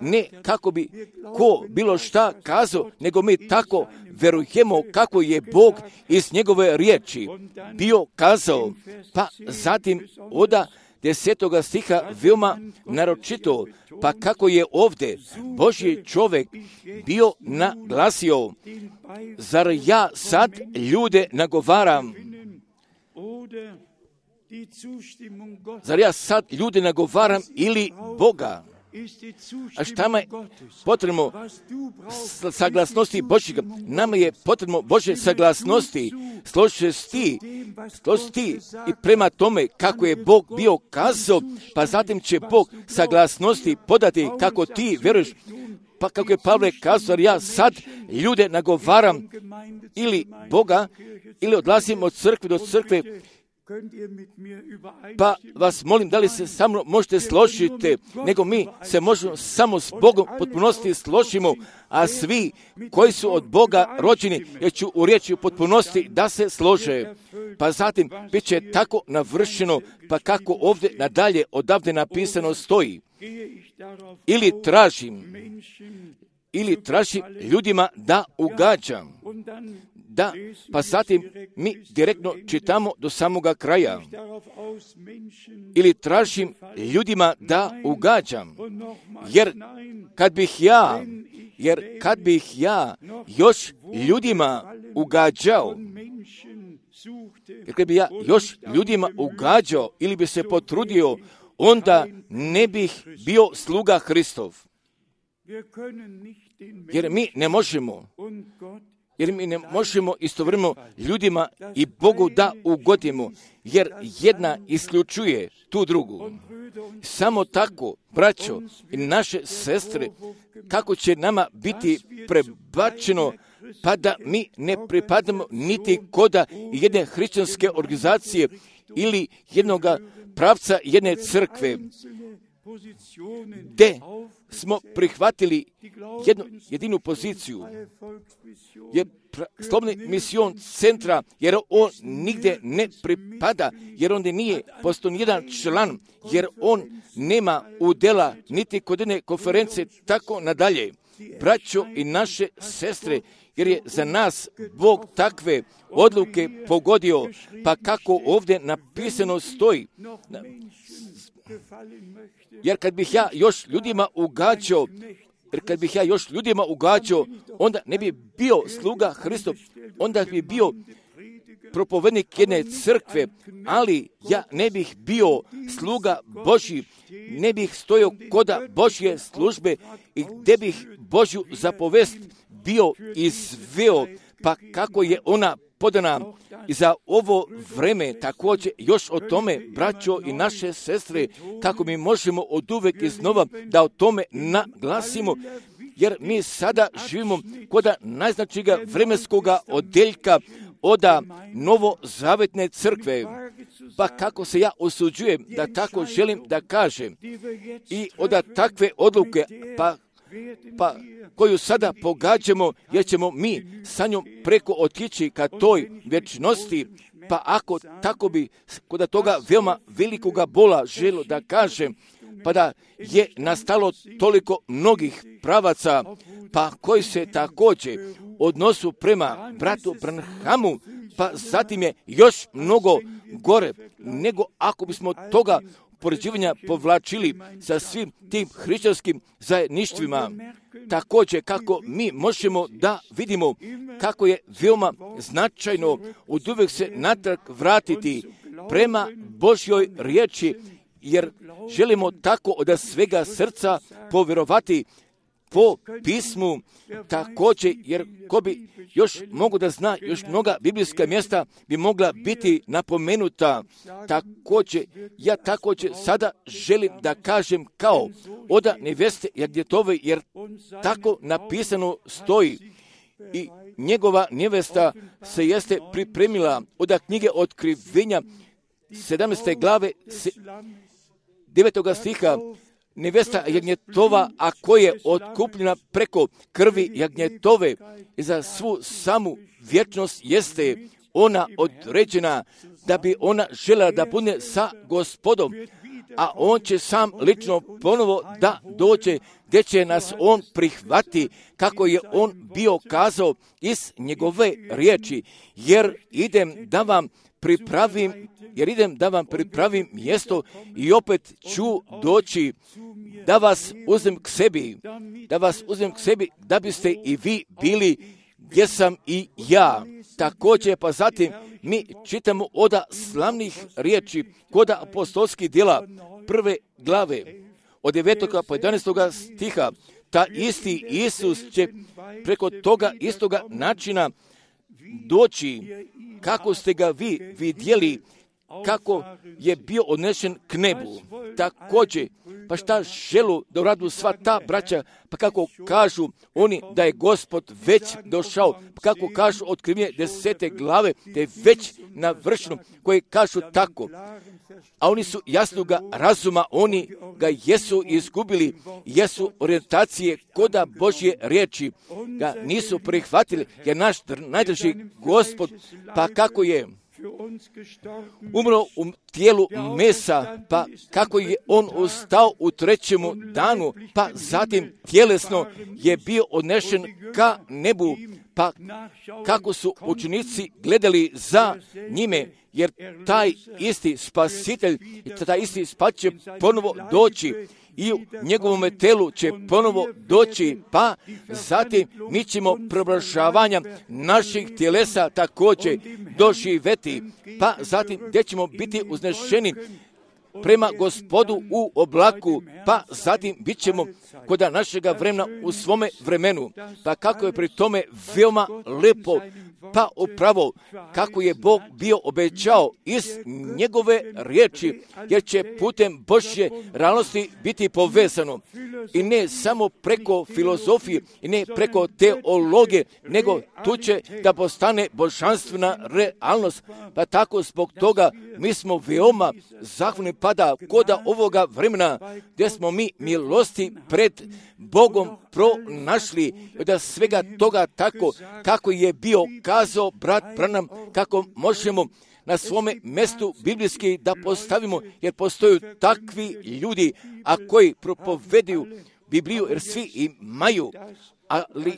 Ne kako bi ko bilo šta kazao, nego mi tako vjerujemo kako je Bog iz njegove riječi bio kazao. Pa zatim oda desetoga stiha veoma naročito, pa kako je ovdje Božji čovjek bio naglasio, zar ja sad ljude nagovaram, zar ja sad ljude nagovaram ili Boga? A šta je potrebno saglasnosti Božjega? Nama je potrebno Božje saglasnosti. Složi se ti, složi ti i prema tome kako je Bog bio kazao, pa zatim će Bog saglasnosti podati kako ti vjeruješ. Pa kako je Pavle kazao, ja sad ljude nagovaram ili Boga, ili odlazim od crkve do crkve. Pa vas molim, da li se sa mnom možete složiti, nego mi se možemo samo s Bogom potpunosti složimo, a svi koji su od Boga rođeni, jer ću u riječi u potpunosti da se slože. Pa zatim bit će tako navršeno, pa kako ovdje nadalje odavde napisano stoji. Ili tražim, ili tražim ljudima da ugađam. Da, pa zatim mi direktno čitamo do samoga kraja. Ili tražim ljudima da ugađam. Jer kad bih ja, jer kad bih ja još ljudima ugađao, jer kad bih ja još ljudima ugađao ili bi se potrudio, onda ne bih bio sluga Hristov. Jer mi ne možemo, jer mi ne možemo istovremeno ljudima i Bogu da ugodimo, jer jedna isključuje tu drugu. Samo tako, braćo i naše sestre, kako će nama biti prebačeno, pa da mi ne pripadamo niti koda jedne hrišćanske organizacije ili jednog pravca jedne crkve, gdje smo prihvatili jednu jedinu poziciju, je slobodni mision centra, jer on nigdje ne pripada, jer on nije postao nijedan član, jer on nema udjela niti kod jedne konferencije, tako nadalje. Braćo i naše sestre, jer je za nas Bog takve odluke pogodio, pa kako ovdje napisano stoji. Jer kad bih ja još ljudima ugađao, jer kad bih ja još ljudima ugađao, onda ne bi bio sluga Hristov, onda bi bio propovednik jedne crkve, ali ja ne bih bio sluga Božji, ne bih stojao koda Božje službe i gdje bih Božju zapovest bio izveo, pa kako je ona podana i za ovo vreme također još o tome, braćo i naše sestre, kako mi možemo od uvek iznova da o tome naglasimo, jer mi sada živimo kod najznačajnijega vremenskoga odeljka oda novozavetne crkve. Pa kako se ja osuđujem da tako želim da kažem i oda takve odluke, pa pa koju sada pogađamo, jer ćemo mi sa njom preko otići ka toj vječnosti, pa ako tako bi kod toga veoma velikoga bola želo da kažem, pa da je nastalo toliko mnogih pravaca, pa koji se također odnosu prema bratu Branhamu, pa zatim je još mnogo gore, nego ako bismo toga poređivanja povlačili sa svim tim hrišćanskim zajedništvima. Također kako mi možemo da vidimo kako je veoma značajno od uvijek se natrag vratiti prema Božjoj riječi, jer želimo tako od svega srca povjerovati po pismu također, jer ko bi još mogu da zna, još mnoga biblijska mjesta bi mogla biti napomenuta. Također, ja također sada želim da kažem kao oda neveste Jagnjetove, jer tako napisano stoji. I njegova nevesta se jeste pripremila od knjige Otkrivenja sedamnaeste glave devetog stiha. Nevesta Jagnjetova, a koja je otkupljena preko krvi Jagnjetove i za svu samu vječnost jeste ona određena da bi ona željela da bude sa Gospodom, a on će sam lično ponovo da dođe gdje će nas on prihvati kako je on bio kazao iz njegove riječi, jer idem da vam pripravim, jer idem da vam pripravim mjesto i opet ću doći da vas uzmem k sebi, da vas uzmem k sebi, da biste i vi bili gdje sam i ja. Također, pa zatim mi čitamo oda slavnih riječi koda apostolskih djela prve glave od devetog po jedanaestog stiha. Ta isti Isus će preko toga istoga načina doći kako ste ga vi vidjeli, kako je bio odnešen k nebu. Također, pa šta želu da uradu sva ta braća, pa kako kažu oni da je Gospod već došao, pa kako kažu Otkrivenje desete glave, da je već navršeno, koje kažu tako. A oni su jasnoga razuma, oni ga jesu izgubili, jesu orijentacije koda Božje riječi, ga nisu prihvatili, jer naš najdrži Gospod, pa kako je umro u tijelu mesa, pa kako je on ustao u trećemu danu, pa zatim tjelesno je bio odnešen ka nebu, pa kako su učenici gledali za njime, jer taj isti spasitelj, taj isti spasitelj će ponovo doći i u njegovom telu će ponovo doći, pa zatim mi ćemo preobražavanja naših tjelesa također doživjeti, pa zatim gdje ćemo biti uznešeni prema Gospodu u oblaku, pa zatim bit ćemo kod našega vremena u svome vremenu. Pa kako je pri tome veoma lepo, pa upravo kako je Bog bio obećao iz njegove riječi, jer će putem Božje realnosti biti povezano. I ne samo preko filozofije, i ne preko teologije, nego tu će da postane božanstvena realnost. Pa tako zbog toga mi smo veoma zahvalni pada koda ovoga vremena gdje smo mi milosti pred Bogom pronašli, da svega toga tako kako je bio kazao brat Branham, kako možemo na svome mjestu biblijski da postavimo, jer postoju takvi ljudi, a koji propoveduju Bibliju, jer svi imaju, ali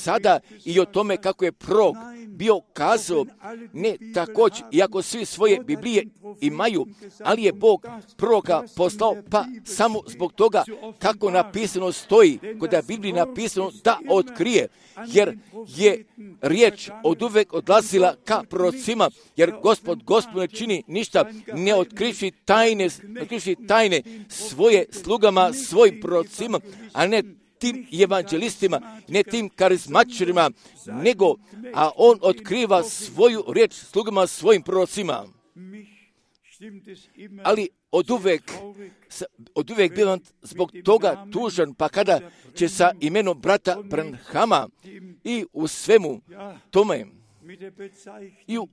sada i o tome kako je prorok bio kazao, ne također, iako svi svoje Biblije imaju, ali je Bog proroka poslao, pa samo zbog toga kako napisano stoji, kod je Bibliji napisano da otkrije, jer je riječ od uvek odlazila ka prorocima, jer Gospod, Gospod ne čini ništa, ne otkriši tajne, otkriši tajne svoje slugama, svojim prorocima, a ne tim evanđelistima, ne tim karizmatičarima, nego, a on otkriva svoju riječ slugama, svojim prorocima. Ali od uvek, od uvek bivam zbog toga tužan, pa kada će sa imenom brata Branhama i u svemu tome i u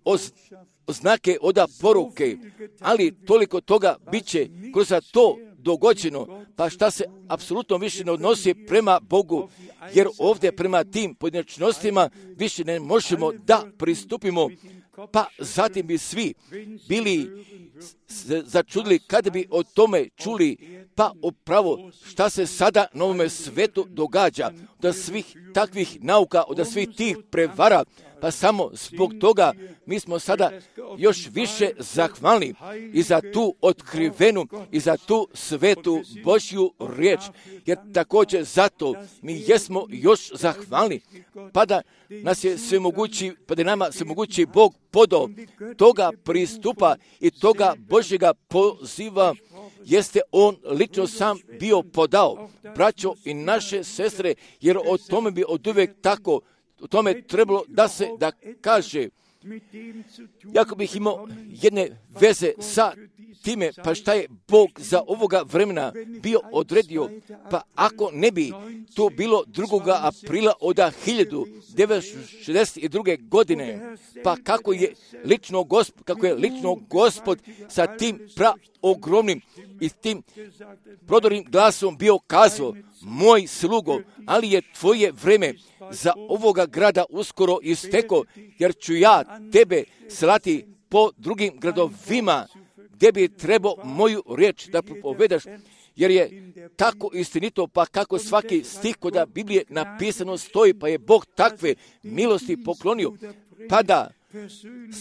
oznake oda poruke, ali toliko toga bit će kroz to dogođeno, pa šta se apsolutno više ne odnosi prema Bogu, jer ovdje prema tim pojedinačnostima više ne možemo da pristupimo, pa zatim bi svi bili začudili kada bi o tome čuli, pa upravo šta se sada na ovome svetu događa, od svih takvih nauka, od svih tih prevara, pa samo zbog toga mi smo sada još više zahvalni i za tu otkrivenu i za tu svetu Božju riječ, jer također zato mi jesmo još zahvalni, pa da nas je svemogući, pa da nama svemogući Bog podao toga pristupa i toga Božjega poziva, jeste on lično sam bio podao, braćo i naše sestre, jer o tome bi oduvijek tako, o tome trebalo da se da kaže. Jako bih imao jedne veze sa time, pa šta je Bog za ovoga vremena bio odredio, pa ako ne bi to bilo drugoga aprila od hiljadu devetsto šezdeset druge. godine, pa kako je lično Gospod, kako je lično Gospod sa tim praogromnim i tim prodornim glasom bio kazao, moj slugo, ali je tvoje vreme za ovoga grada uskoro isteko, jer ću ja tebe slati po drugim gradovima, gdje bi trebao moju riječ da propovedaš, jer je tako istinito, pa kako svaki stih kod Biblije napisano stoji, pa je Bog takve milosti poklonio, pa da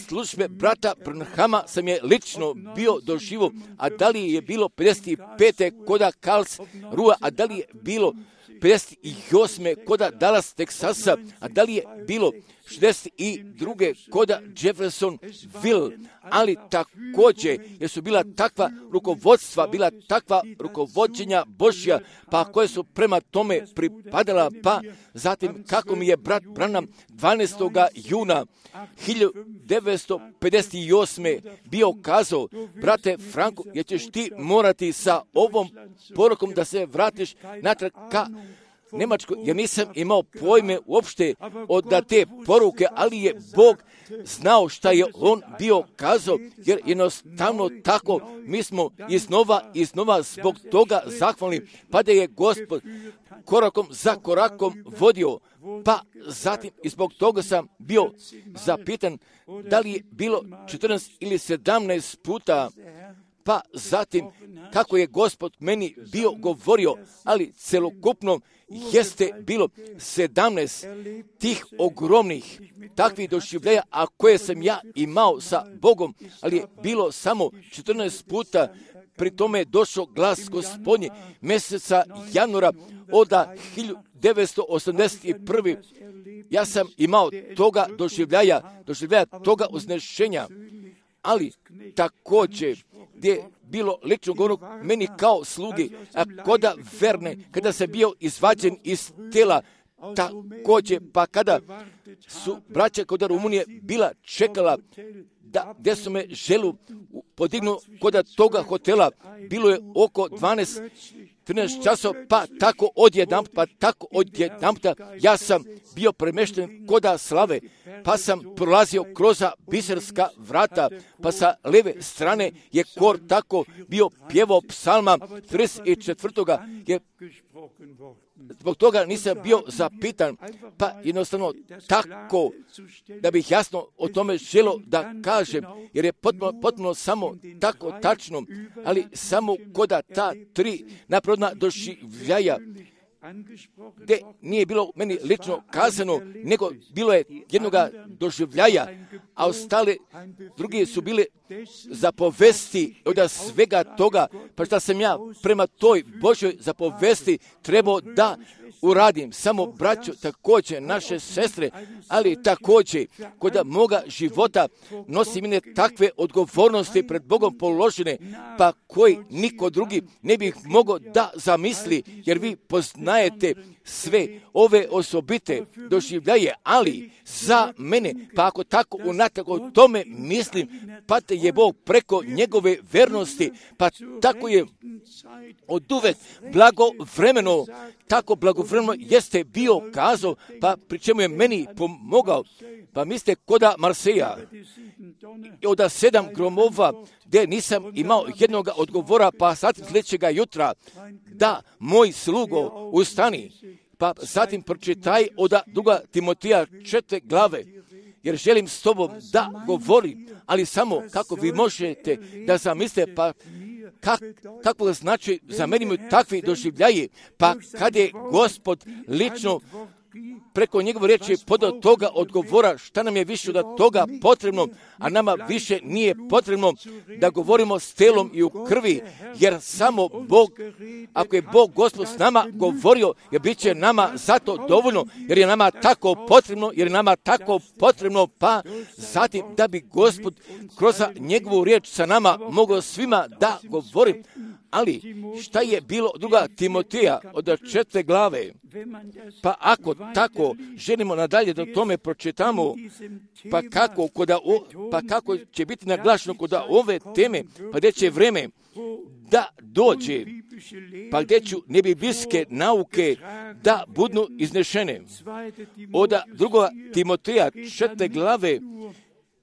službe brata Branhama sam je lično bio doživo, a da li je bilo pedeset pete koda Karls Rua, a da li je bilo pedeset osme koda Dallas, Teksasa, a da li je bilo šezdeset druge koda Jeffersonville, ali također jer su bila takva rukovodstva, bila takva rukovođenja Božja, pa koje su prema tome pripadala, pa zatim kako mi je brat Branham dvanaestog juna hiljadu devetsto pedeset osme. bio kazao, brate Franko, jer ćeš ti morati sa ovom porukom da se vratiš natrag ka Njemačko, jer nisam imao pojme uopšte od da te poruke, ali je Bog znao šta je on bio kazao, jer jednostavno tako mi smo iznova iznova zbog toga zahvalni, pa da je Gospod korakom za korakom vodio, pa zatim i zbog toga sam bio zapitan da li je bilo četrnaest ili sedamnaest puta, pa zatim kako je Gospod meni bio govorio, ali celokupno jeste bilo sedamnaest tih ogromnih takvih doživljaja, a koje sam ja imao sa Bogom, ali je bilo samo četrnaest puta. Pri tome je došao glas Gospodnji mjeseca januara od hiljadu devetsto osamdeset prve. Ja sam imao toga doživljaja, doživljaja toga uznešenja, ali također gdje je bilo lično govorno meni kao slugi, a koda Verne, kada sam bio izvađen iz tela, također, pa kada su braća kod Rumunije bila čekala da gdje su me želu podignu kod toga hotela, bilo je oko dvanaest trinaest časova, pa tako odjednom, pa tako odjednom, ja sam bio premešten koda slave, pa sam prolazio kroz biserska vrata, pa sa leve strane je kor tako bio pjevao psalma trideset četvrtoga je zbog toga nisam bio zapitan, pa jednostavno tako da bih jasno o tome želio da kažem, jer je potpuno, potpuno samo tako tačno, ali samo koda ta tri naprodna doživljaja, gdje nije bilo meni lično kazano, nego bilo je jednoga doživljaja, a ostale drugi su bile zapovesti od svega toga, pa šta sam ja prema toj Božoj zapovesti trebao da uradim. Samo braćo, također naše sestre, ali također kod moga života nosim mene takve odgovornosti pred Bogom položene, pa koji niko drugi ne bih mogao da zamisli, jer vi poznajete sve ove osobite doživljaje, ali za mene, pa ako tako unatrag o tome mislim, pa te je Bog preko njegove vernosti, pa tako je oduvek blagovremeno, tako blagovremeno jeste bio kazao, pa pri čemu je meni pomogao. Pa mislite koda Marseja, od sedam gromova, gdje nisam imao jednog odgovora, pa sad sljedećega jutra, da, moj slugo, ustani, pa zatim pročitaj od druga Timotija četiri glave, jer želim s tobom da govorim, ali samo kako vi možete da zamislite, pa kak, kako znači za meni mu takvi doživljaji, pa kad je Gospod lično preko njegove riječi podao toga odgovora, šta nam je više od toga potrebno, a nama više nije potrebno da govorimo s telom i u krvi, jer samo Bog, ako je Bog Gospod s nama govorio, jer bit će nama zato dovoljno, jer je nama tako potrebno, jer je nama tako potrebno, pa zatim da bi Gospod kroz njegovu riječ sa nama mogao svima da govori. Ali šta je bilo druga Timotija od četvrte glave? Pa ako tako želimo nadalje da tome pročitamo, pa kako, koda o, pa kako će biti naglašeno kod ove teme, pa gdje će vreme da dođe, pa gdje ću nebiblijske nauke da budu iznešene. Od druga Timoteja četvrte glave,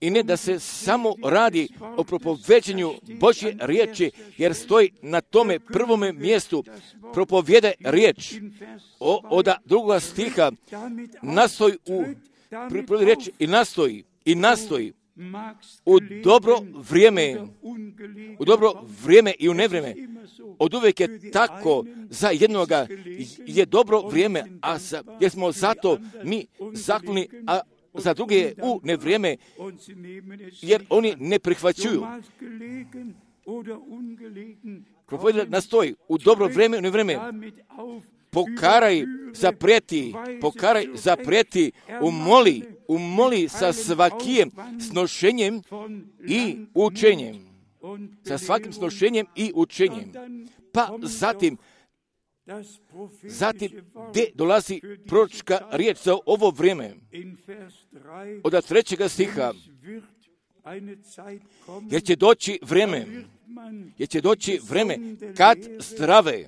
i ne da se samo radi o propoveđenju Božje riječi, jer stoji na tome prvome mjestu propovjede riječ. O, od drugoga stiha nastoji u prvi riječ i nastoji i nastoji u dobro vrijeme, u dobro vrijeme i u nevrijeme. Od uvijek je tako, za jednoga je dobro vrijeme, a za, jer smo zato mi zakloni, a za druge je u nevrijeme, jer oni ne prihvaćuju. Propovjeda nastoji u dobro vrijeme i u nevrijeme. Pokaraj, zaprijeti, pokaraj, zaprijeti, umoli, umoli sa svakim snošenjem i učenjem. Sa svakim snošenjem i učenjem. Pa zatim, zatim gdje dolazi proročka riječ za ovo vrijeme? Od trećega stiha. Jer će doći vrijeme, jer će doći vrijeme kad zdrave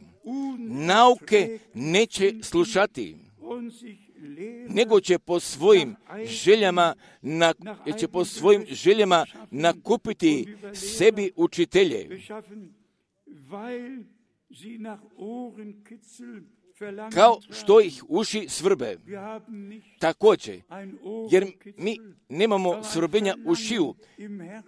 nauke neće slušati, nego će po svojim željama, na, će po svojim željama nakupiti sebi učitelje, kao što ih uši svrbe. Također, jer mi nemamo svrbenja ušiju,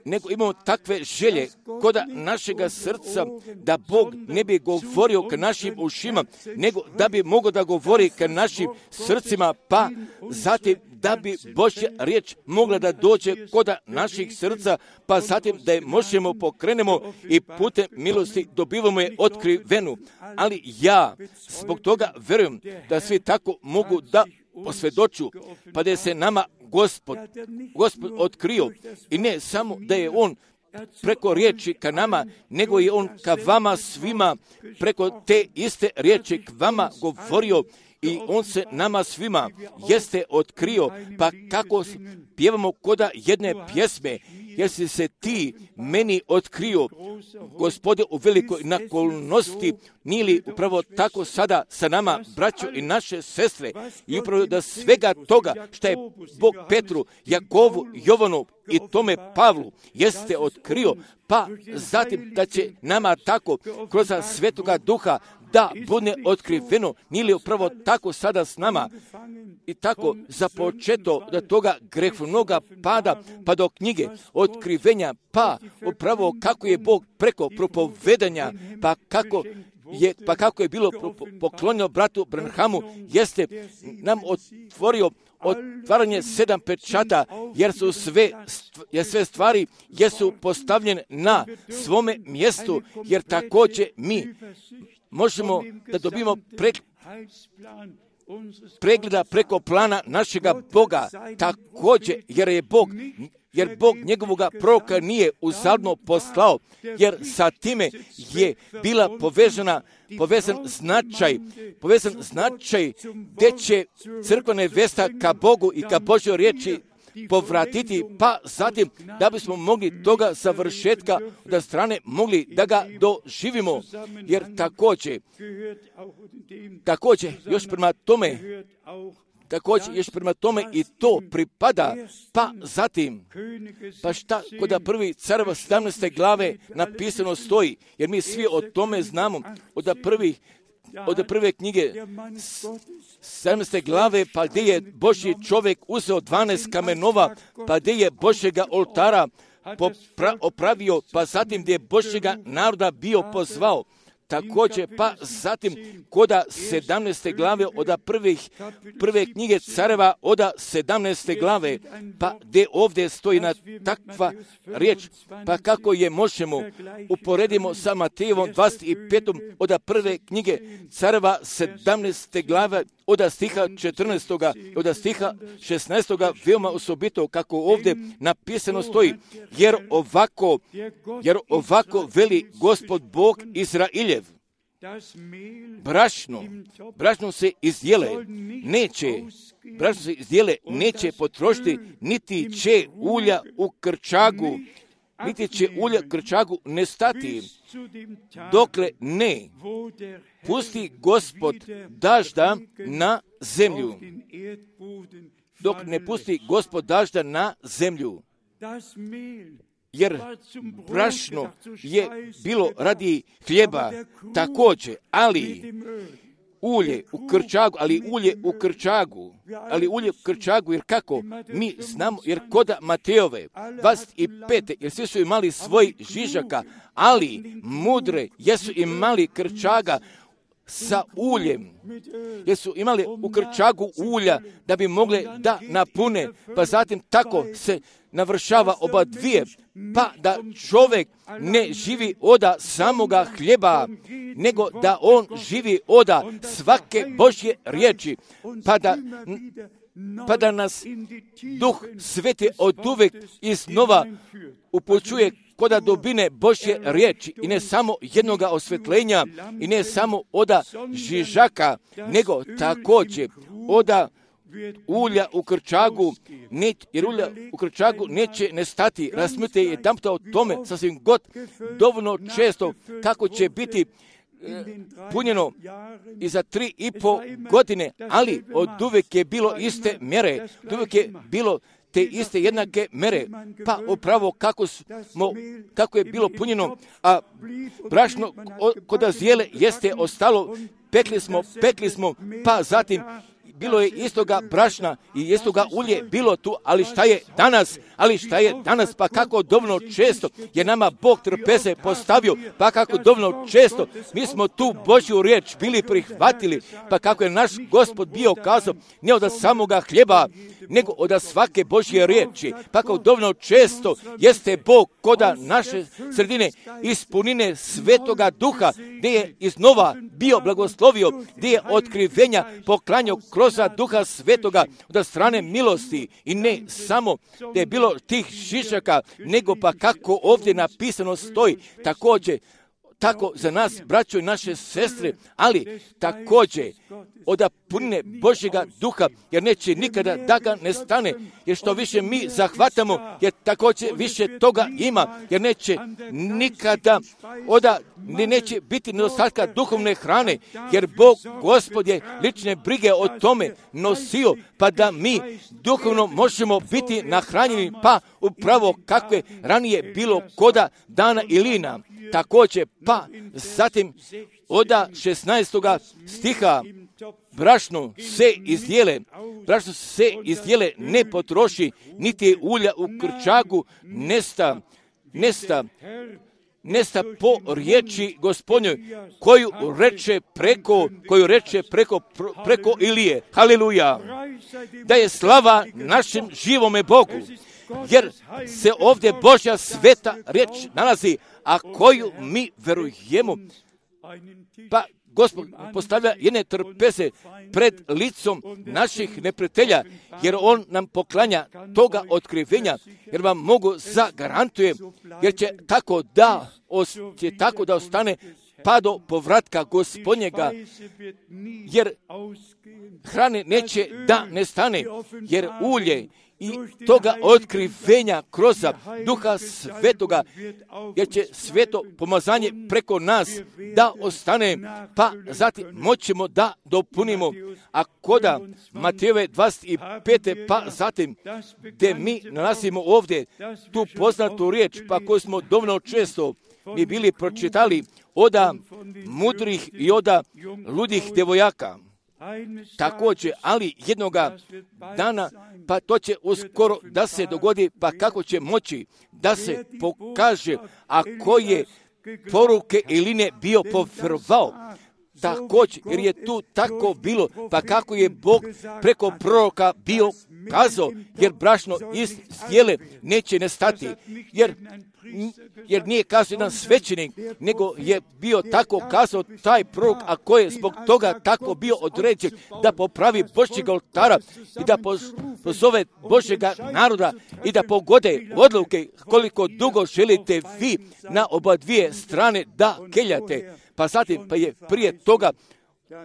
nego imamo takve želje kod našega srca da Bog ne bi govorio k našim ušima, nego da bi mogao da govori k našim srcima, pa zatim da bi Božja riječ mogla da dođe kod naših srca, pa zatim da je možemo pokrenemo i putem milosti dobivamo je otkrivenu. Ali ja zbog toga vjerujem da svi tako mogu da posvjedoču, pa da se nama Gospod, Gospod otkrio, i ne samo da je On preko riječi ka nama, nego je On ka vama svima preko te iste riječi k vama govorio, i On se nama svima jeste otkrio. Pa kako pjevamo koda jedne pjesme, jer si se ti meni otkrio, Gospode, u velikoj nakolnosti, nije li upravo tako sada sa nama, braćo i naše sestre, i upravo da svega toga što je Bog Petru, Jakovu, Jovanu i tome Pavlu jeste otkrio, pa zatim da će nama tako kroz Svetoga Duha da bude otkriveno, nije li upravo tako sada s nama. I tako započeto da toga grehovnoga pada pa do knjige otkrivenja, pa upravo kako je Bog preko propovedanja, pa kako je, pa kako je bilo poklonjeno bratu Branhamu, jeste nam otvorio otvaranje sedam pečata, jer su sve, jer sve stvari jesu postavljene na svome mjestu, jer također mi možemo da dobimo pre, pregleda preko plana našega Boga, također, jer je Bog, jer Bog njegovoga proroka nije uzaludno poslao, jer sa time je bila povezana, povezan značaj, povezan značaj gdje će crkva nevesta ka Bogu i ka Božjoj riječi povratiti, pa zatim da bismo mogli toga završetka da strane mogli da ga doživimo, jer također, također još prema tome, također još prema tome i to pripada, pa zatim, pa šta kod prvi careva sedamnaeste glave napisano stoji, jer mi svi o tome znamo, od prvih od prve knjige sedamnaeste glave, pa gdje je Božji čovjek uzeo dvanaest kamenova, pa gdje je Božjega oltara popra- opravio, pa zatim gdje je Božjega naroda bio pozvao. Također, pa zatim koda sedamnaeste glave od prvih, prve knjige careva od sedamnaeste glave, pa gdje ovdje stoji na takva riječ, pa kako je možemo uporedimo sa Matejevom dvadeset petom od prve knjige careva sedamnaeste glave od stiha četrnaestog, od stiha šesnaestog, veoma osobito kako ovdje napisano stoji, jer ovako, jer ovako veli Gospod Bog Izrailjev, brašno, brašno se izdjele, neće, brašno se izdjele, neće potrošiti, niti će ulja u krčagu, niti će ulja u krčagu nestati, dokle ne pusti Gospod dažda na zemlju, dok ne pusti Gospod dažda na zemlju. Jer brašno je bilo radi hljeba također, ali ulje u krčagu, ali ulje u krčagu, ali ulje u krčagu, jer kako mi znamo, jer koda Matejove dvadeset pet, jer svi su imali svoj žižaka, ali mudre jesu imali krčaga sa uljem, jer su imali u krčagu ulja da bi mogle da napune, pa zatim tako se navršava oba dvije, pa da čovjek ne živi oda samoga hljeba, nego da on živi oda svake Božje riječi, pa da, pa da nas Duh Sveti oduvek iznova upućuje koda dobine Božje riječi i ne samo jednoga osvetljenja i ne samo oda žižaka, nego također oda ulja u krčagu, ne, jer ulja u krčagu neće nestati. Razmislite jedanputa o tome sasvim god dovoljno često kako će biti e, punjeno i za tri i po godine, ali od uvijek je bilo iste mjere, od uvijek je bilo te iste jednake mere, pa upravo kako, smo, kako je bilo punjeno, a brašno kod azijele jeste ostalo, pekli smo, pekli smo, pa zatim bilo je istoga brašna i istoga ulje bilo tu, ali šta je danas, ali šta je danas, pa kako dovoljno često je nama Bog trpeze postavio, pa kako dovoljno često mi smo tu Božju riječ bili prihvatili, pa kako je naš Gospod bio kazao, ne od samoga hljeba, nego od svake Božje riječi, pa kako dovoljno često jeste Bog koda naše sredine ispunine Svetoga Duha, gdje je iznova bio blagoslovio, gdje je otkrivenja poklanjao kroz Duha Svetoga od strane milosti i ne samo da je bilo tih šišaka, nego pa kako ovdje napisano stoji, također tako za nas, braćo i naše sestre, ali također od punine Božjega Duha, jer neće nikada da ga ne stane, jer što više mi zahvatamo, jer također više toga ima, jer neće nikada oda, ne neće biti nedostatka duhovne hrane, jer Bog Gospod je lične brige o tome nosio, pa da mi duhovno možemo biti nahranjeni, pa upravo kako je ranije bilo koda Dana i Lina. Također, pa zatim oda šesnaestoga stiha, brašno se izdjele, brašno se izdjele ne potroši, niti ulja u krčagu nesta, nesta, nesta po riječi Gospodnjoj, koju reče preko, koju reče preko, preko Ilije. Haleluja! Da je slava našem živome Bogu, jer se ovdje Božja sveta riječ nalazi, a koju mi verujemo, pa Gospod postavlja jedne trpeze pred licom naših neprijatelja, jer On nam poklanja toga otkrivenja, jer vam mogu zagarantujem, jer će tako da, će tako da ostane pa do povratka Gospodnjega, jer hrane neće da nestane, jer ulje i toga otkrivenja kroz Duha Svetoga, jer će sveto pomazanje preko nas da ostane, pa zatim moćemo da dopunimo. A koda Matejove dvadeset pet, pa zatim gdje mi nalazimo ovdje tu poznatu riječ, pa koju smo dovoljno često mi bili pročitali oda mudrih i oda ludih djevojaka. Također, ali jednoga dana, pa to će uskoro da se dogodi, pa kako će moći da se pokaže, a koje poruke ili ne bio povjerovao, također, jer je tu tako bilo, pa kako je Bog preko proroka bio kazao, jer brašno iz zdjele neće nestati, jer, jer nije kazao jedan svećenik, nego je bio tako kazao taj prorok, a ko je zbog toga tako bio određen da popravi Božjeg oltara i da pozove Božjega naroda i da pogode odluke koliko dugo želite vi na oba dvije strane da keljate. Pa zatim, pa je prije toga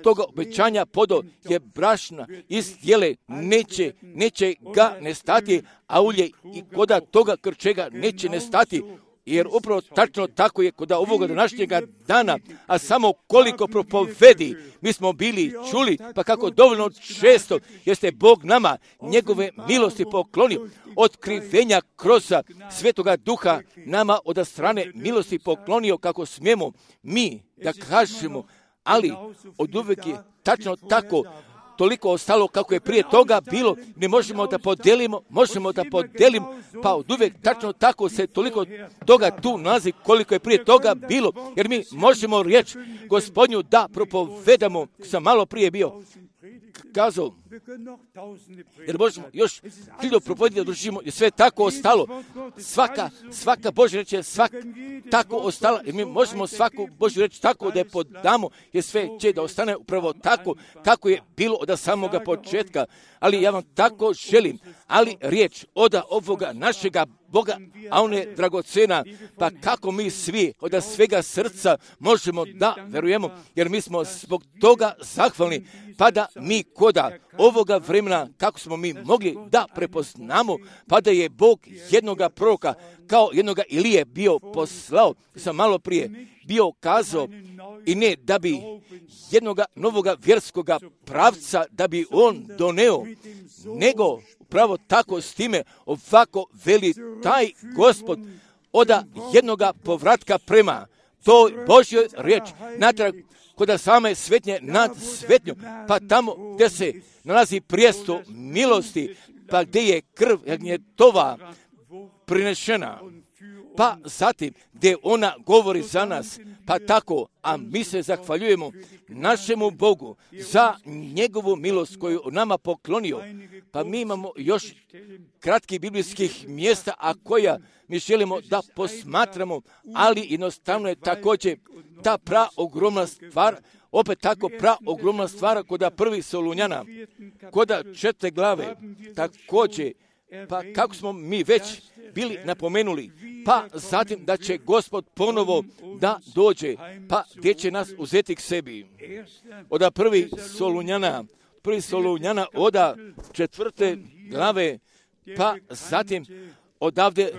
toga obećanja podo je brašna iz zdjele neće, neće ga nestati, a ulje i koda toga krčega neće nestati, jer upravo tačno tako je kod ovoga današnjega dana, a samo koliko propovedi mi smo bili čuli, pa kako dovoljno često jeste Bog nama njegove milosti poklonio, otkrivenja kroz Svetoga Duha nama od strane milosti poklonio, kako smijemo mi da kažemo, ali od uvijek je tačno tako toliko ostalo kako je prije toga bilo, ne možemo da podelimo, možemo da podelimo, pa od uvijek tačno tako se toliko toga tu nalazi koliko je prije toga bilo, jer mi možemo riječ Gospodnju da propovedamo, sam malo prije bio kazao, jer možemo još hiljadu propovediti da držimo, jer sve tako ostalo, svaka, svaka Božja reč je svak tako ostala, jer mi možemo svaku Božju reč tako da je podamo, jer sve će da ostane upravo tako kako je bilo od samoga početka, ali ja vam tako želim, ali riječ od ovoga našega Boga, a on je dragocena, pa kako mi svi od svega srca možemo da verujemo, jer mi smo zbog toga zahvalni, pa da mi koda ovoga vremena, kako smo mi mogli da prepoznamo, pa da je Bog jednoga proroka, kao jednoga Ilije bio poslao, sam malo prije bio kazao, i ne da bi jednoga novoga vjerskoga pravca, da bi on doneo, nego upravo tako s time ovako veli taj Gospod oda jednoga povratka prema toj Božjoj riječi, natrag kod same svetnje nad svetnjom, pa tamo gdje se nalazi prijesto milosti, pa gdje je krv jagnjetova prinešena, pa zatim gdje ona govori za nas, pa tako, a mi se zahvaljujemo našemu Bogu za njegovu milost koju nama poklonio. Pa mi imamo još kratkih biblijskih mjesta, a koja mi želimo da posmatramo, ali jednostavno je također ta pra ogromna stvar, opet tako pra ogromna stvar kod prvih Solunjana, kod četiri glave, također, pa kako smo mi već bili napomenuli, pa zatim da će Gospod ponovo da dođe, pa gdje će nas uzeti k sebi. Od prvi Solunjana, prvi Solunjana od četvrte glave, pa zatim odavde,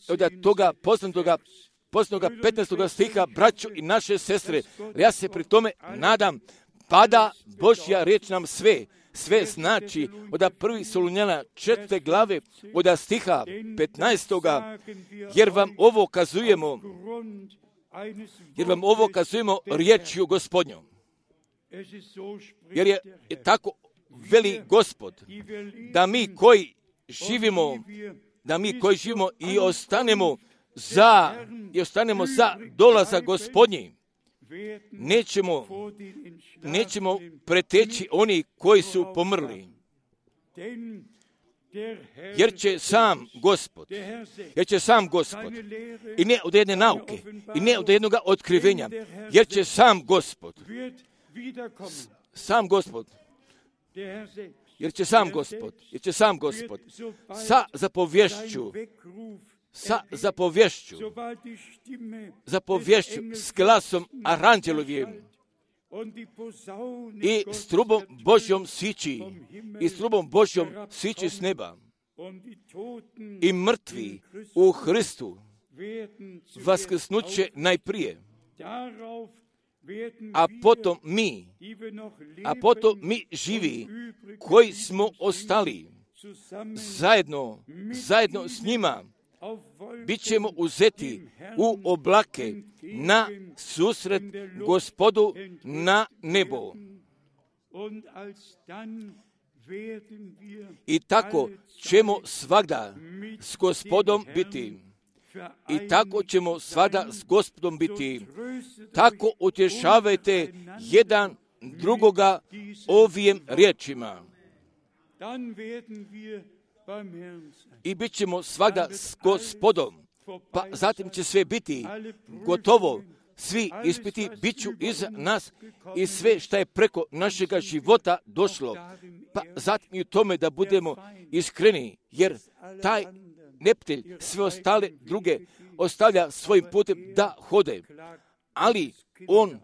od toga poznatoga poznatoga petnaestoga stiha, braćo i naše sestre, ja se pri tome nadam, pada Božja riječ nam sve, sve znači od prvi Solunjana četvrte glave, od stiha petnaestoga, jer vam ovo kazujemo, jer vam ovo kazujemo riječju Gospodnjom. Jer je, je tako veli Gospod, da mi koji živimo, da mi koji živimo i ostanemo za, i ostanemo za dolazak Gospodnji, nećemo, nećemo preteći oni koji su pomrli. Jer će sam Gospod, jer će sam Gospod, i ne od jedne nauke, i ne od jednog otkrivenja, jer će sam Gospod, sam Gospod, jer će sam Gospod, jer će sam Gospod, sa zapovješću, sa zapovješću, zapovješću s glasom aranđelovim i s trubom Božjom sići, i s trubom Božjom sići s neba, i mrtvi u Hristu vaskrsnuće najprije, a potom mi, a potom mi živi, koji smo ostali, zajedno, zajedno s njima, bit ćemo uzeti u oblake na susret Gospodu na nebo. I tako ćemo svagda s Gospodom biti. i tako ćemo svada s Gospodom biti. Tako utješavajte jedan drugoga ovim riječima. I bit ćemo svada s Gospodom. Pa zatim će sve biti gotovo. Svi ispiti bit ću iza nas i sve što je preko našega života došlo. Pa zatim i u tome da budemo iskreni, jer taj neprijatelj sve ostale druge ostavlja svojim putem da hode. Ali on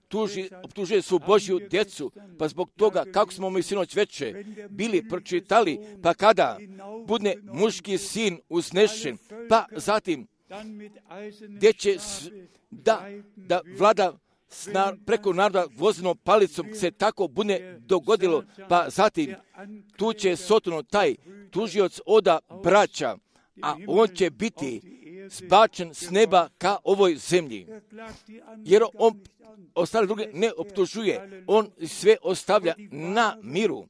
tuži, optužuje svu Božju djecu, pa zbog toga kako smo mi sinoć veče bili pročitali, pa kada bude muški sin uznešen, pa zatim gdje će da, da vlada snar, preko naroda gvozdenom palicom se tako bude dogodilo, pa zatim tu će Sotono taj tužioc oda braća, a on će biti zbačen s neba ka ovoj zemlji. Jer on ostale druge ne optužuje, on sve ostavlja na miru,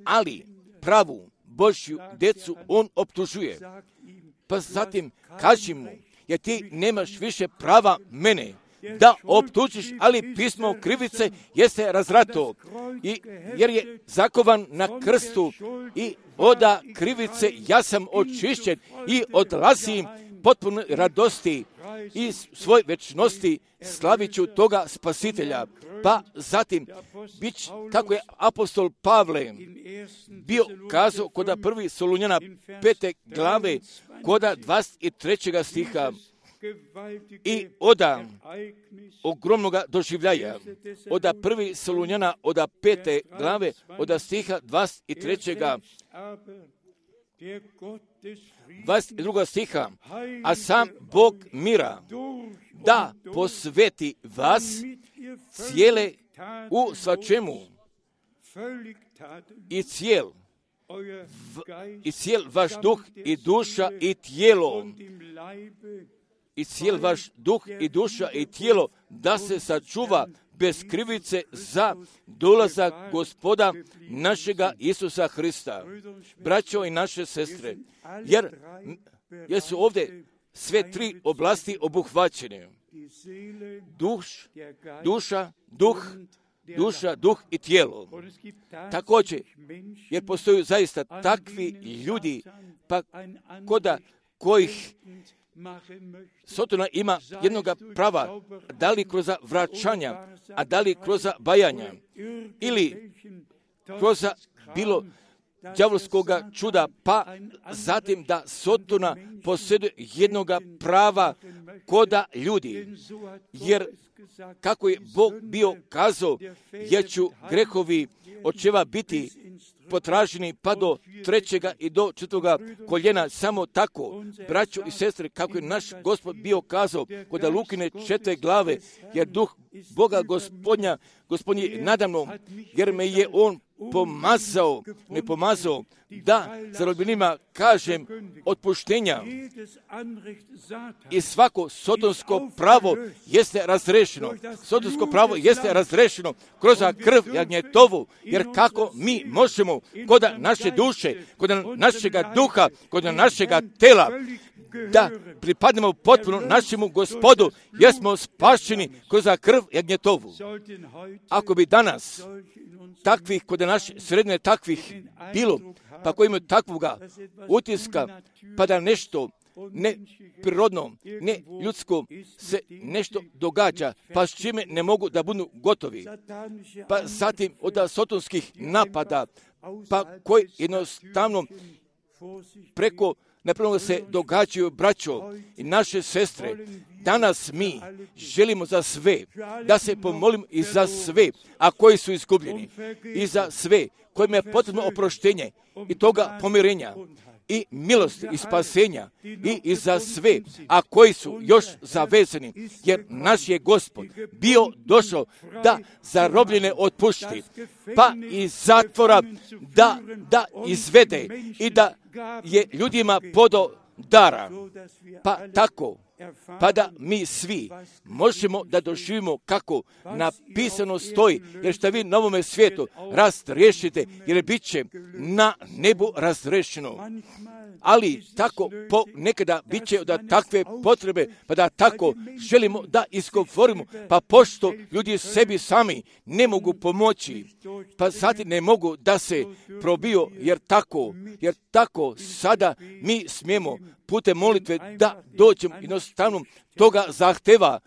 ali pravu Božju djecu on optužuje. Pa zatim kaži mu, jer ti nemaš više prava mene da optužiš, ali pismo krivice jeste razrato, i, jer je zakovan na krstu i oda krivice ja sam očišćen i odlazim potpuno radosti i svoj večnosti slavit ću toga spasitelja. Pa zatim, bić, kako je apostol Pavle bio kazao koda prvi Solunjana pete glave, koda dvadeset trećega stiha, i oda ogromnoga doživljaja, oda prvi Solunjana, oda pete glave, oda stiha dvadeset trećega dvadeset drugog stiha, a sam Bog mira da posveti vas cijele u svačemu i cijel v, i cijel vaš duh i duša i tijelo i cijel vaš duh i duša i tijelo da se sačuva bez krivice za dolazak Gospoda našega Isusa Hrista. Braćo i naše sestre, jer, jer su ovdje sve tri oblasti obuhvaćene. Duš, duša, duh, duša, duh i tijelo. Također, jer postoju zaista takvi ljudi, pa koda kojih Sotona ima jednoga prava, da li kroz vraćanja, a da li kroz bajanja, ili kroz bilo đavolskoga čuda, pa zatim da Sotona posjeduje jednoga prava koda ljudi. Jer kako je Bog bio kazao, jer ću grehovi očeva biti potraženi pa do trećega i do četvrtoga koljena, samo tako, braćo i sestre, kako je naš Gospod bio kazao kod Lukine četvrte glave, jer duh Boga Gospodnja, Gospodin je nadamnom, jer me je on pomazao, ne pomazao, da zarobljenima kažem otpuštenja, i svako sotonsko pravo jeste razrešeno. Sotonsko pravo jeste razrešeno kroz krv jagnjetovu, jer kako mi možemo kod naše duše, kod našega duha, kod našega tela, da pripadnemo potpuno našemu Gospodu, jer smo spašeni kroz krv jagnjetovu. Ako bi danas takvih, kod naše sredine takvih bilo, pa koji imaju takvoga utiska, pa da nešto neprirodno, ne ljudsko se nešto događa, pa s čime ne mogu da budu gotovi. Pa zatim od sotonskih napada, pa koji jednostavno preko napravno se događaju, braćo i naše sestre. Danas mi želimo za sve, da se pomolimo i za sve, a koji su izgubljeni, i za sve kojima je potrebno oproštenje i toga pomirenja i milosti i spasenja, i, i za sve, a koji su još zavezani, jer naš je Gospod bio došao da zarobljene otpušti, pa iz zatvora da, da izvede i da je ljudima podo dara. Pa tako pa da mi svi možemo da doživimo kako napisano stoji, jer šta vi na ovome svijetu razriješite, jer bit će na nebu razriješeno. Ali tako po nekada bit će da takve potrebe, pa da tako želimo da izgovorimo, pa pošto ljudi sebi sami ne mogu pomoći, pa sad ne mogu da se probiju, jer tako, jer tako sada mi smijemo putem molitve da dođemo jednostavno toga zahteva.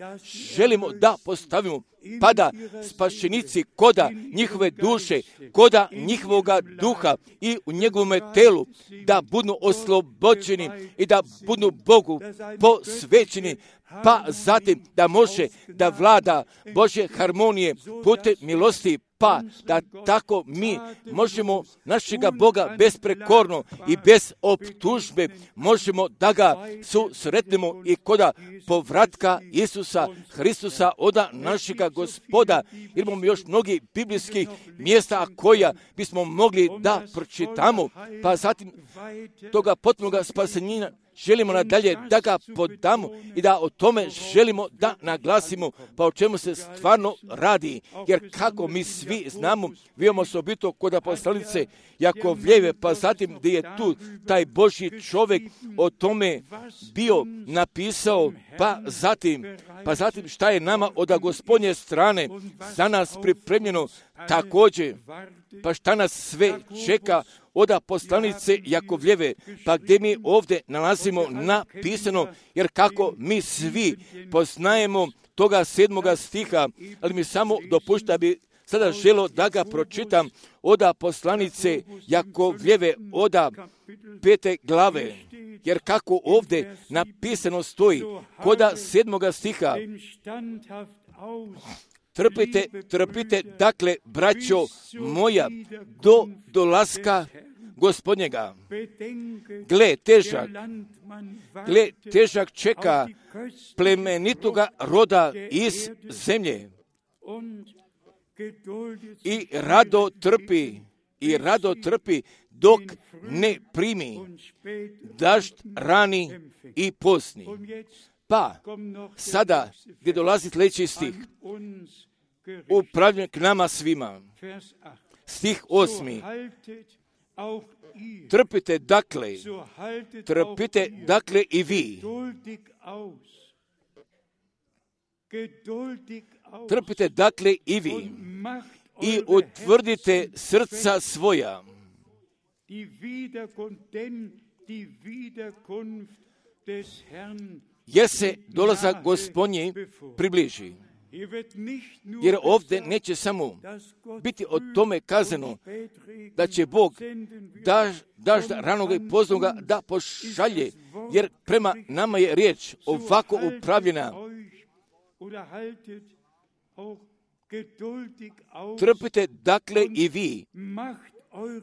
Želimo da postavimo pa da spašenici koda njihove duše, koda njihovoga duha i u njegovome telu da budu oslobođeni i da budu Bogu posvećeni, pa zatim da može da vlada Božje harmonije putem milosti, pa da tako mi možemo našega Boga besprekorno i bez optužbe možemo da ga susretnemo i koda povratka Isusa Hristusa oda našega Gospoda. Imamo još mnogi biblijskih mjesta koja bismo mogli da pročitamo, pa zatim toga potpunoga spasenja želimo nadalje da ga podamo i da o tome želimo da naglasimo, pa o čemu se stvarno radi. Jer kako mi svi znamo, vidimo osobito kod apostolice Jakovljeve, pa zatim gdje je tu taj Božji čovjek o tome bio napisao, pa zatim, pa zatim šta je nama od Gospodnje strane za nas pripremljeno također, pa šta nas sve čeka od poslanice Jakovljeve, pa gdje mi ovdje nalazimo napisano, jer kako mi svi poznajemo toga sedmoga stiha, ali mi samo dopušta bi sada želo da ga pročitam od poslanice Jakovljeve od pete glave, jer kako ovdje napisano stoji koda sedmoga stiha. Trpite, trpite, dakle, braćo moja, do dolaska Gospodnjega. Gle, težak, gle, težak čeka plemenitoga roda iz zemlje. I rado trpi, i rado trpi dok ne primi dažd rani i posni. Pa, sada, gdje dolazi sljedeći stih, upravljen k nama svima. Stih osmi. Trpite dakle, trpite dakle i vi. Trpite dakle i vi. I utvrdite srca svoja. Jer se dolazak Gospodnji približi. Jer ovdje neće samo biti o tome kazano da će Bog daž, dažda ranoga i poznoga da pošalje, jer prema nama je riječ ovako upravljena. Trpite dakle i vi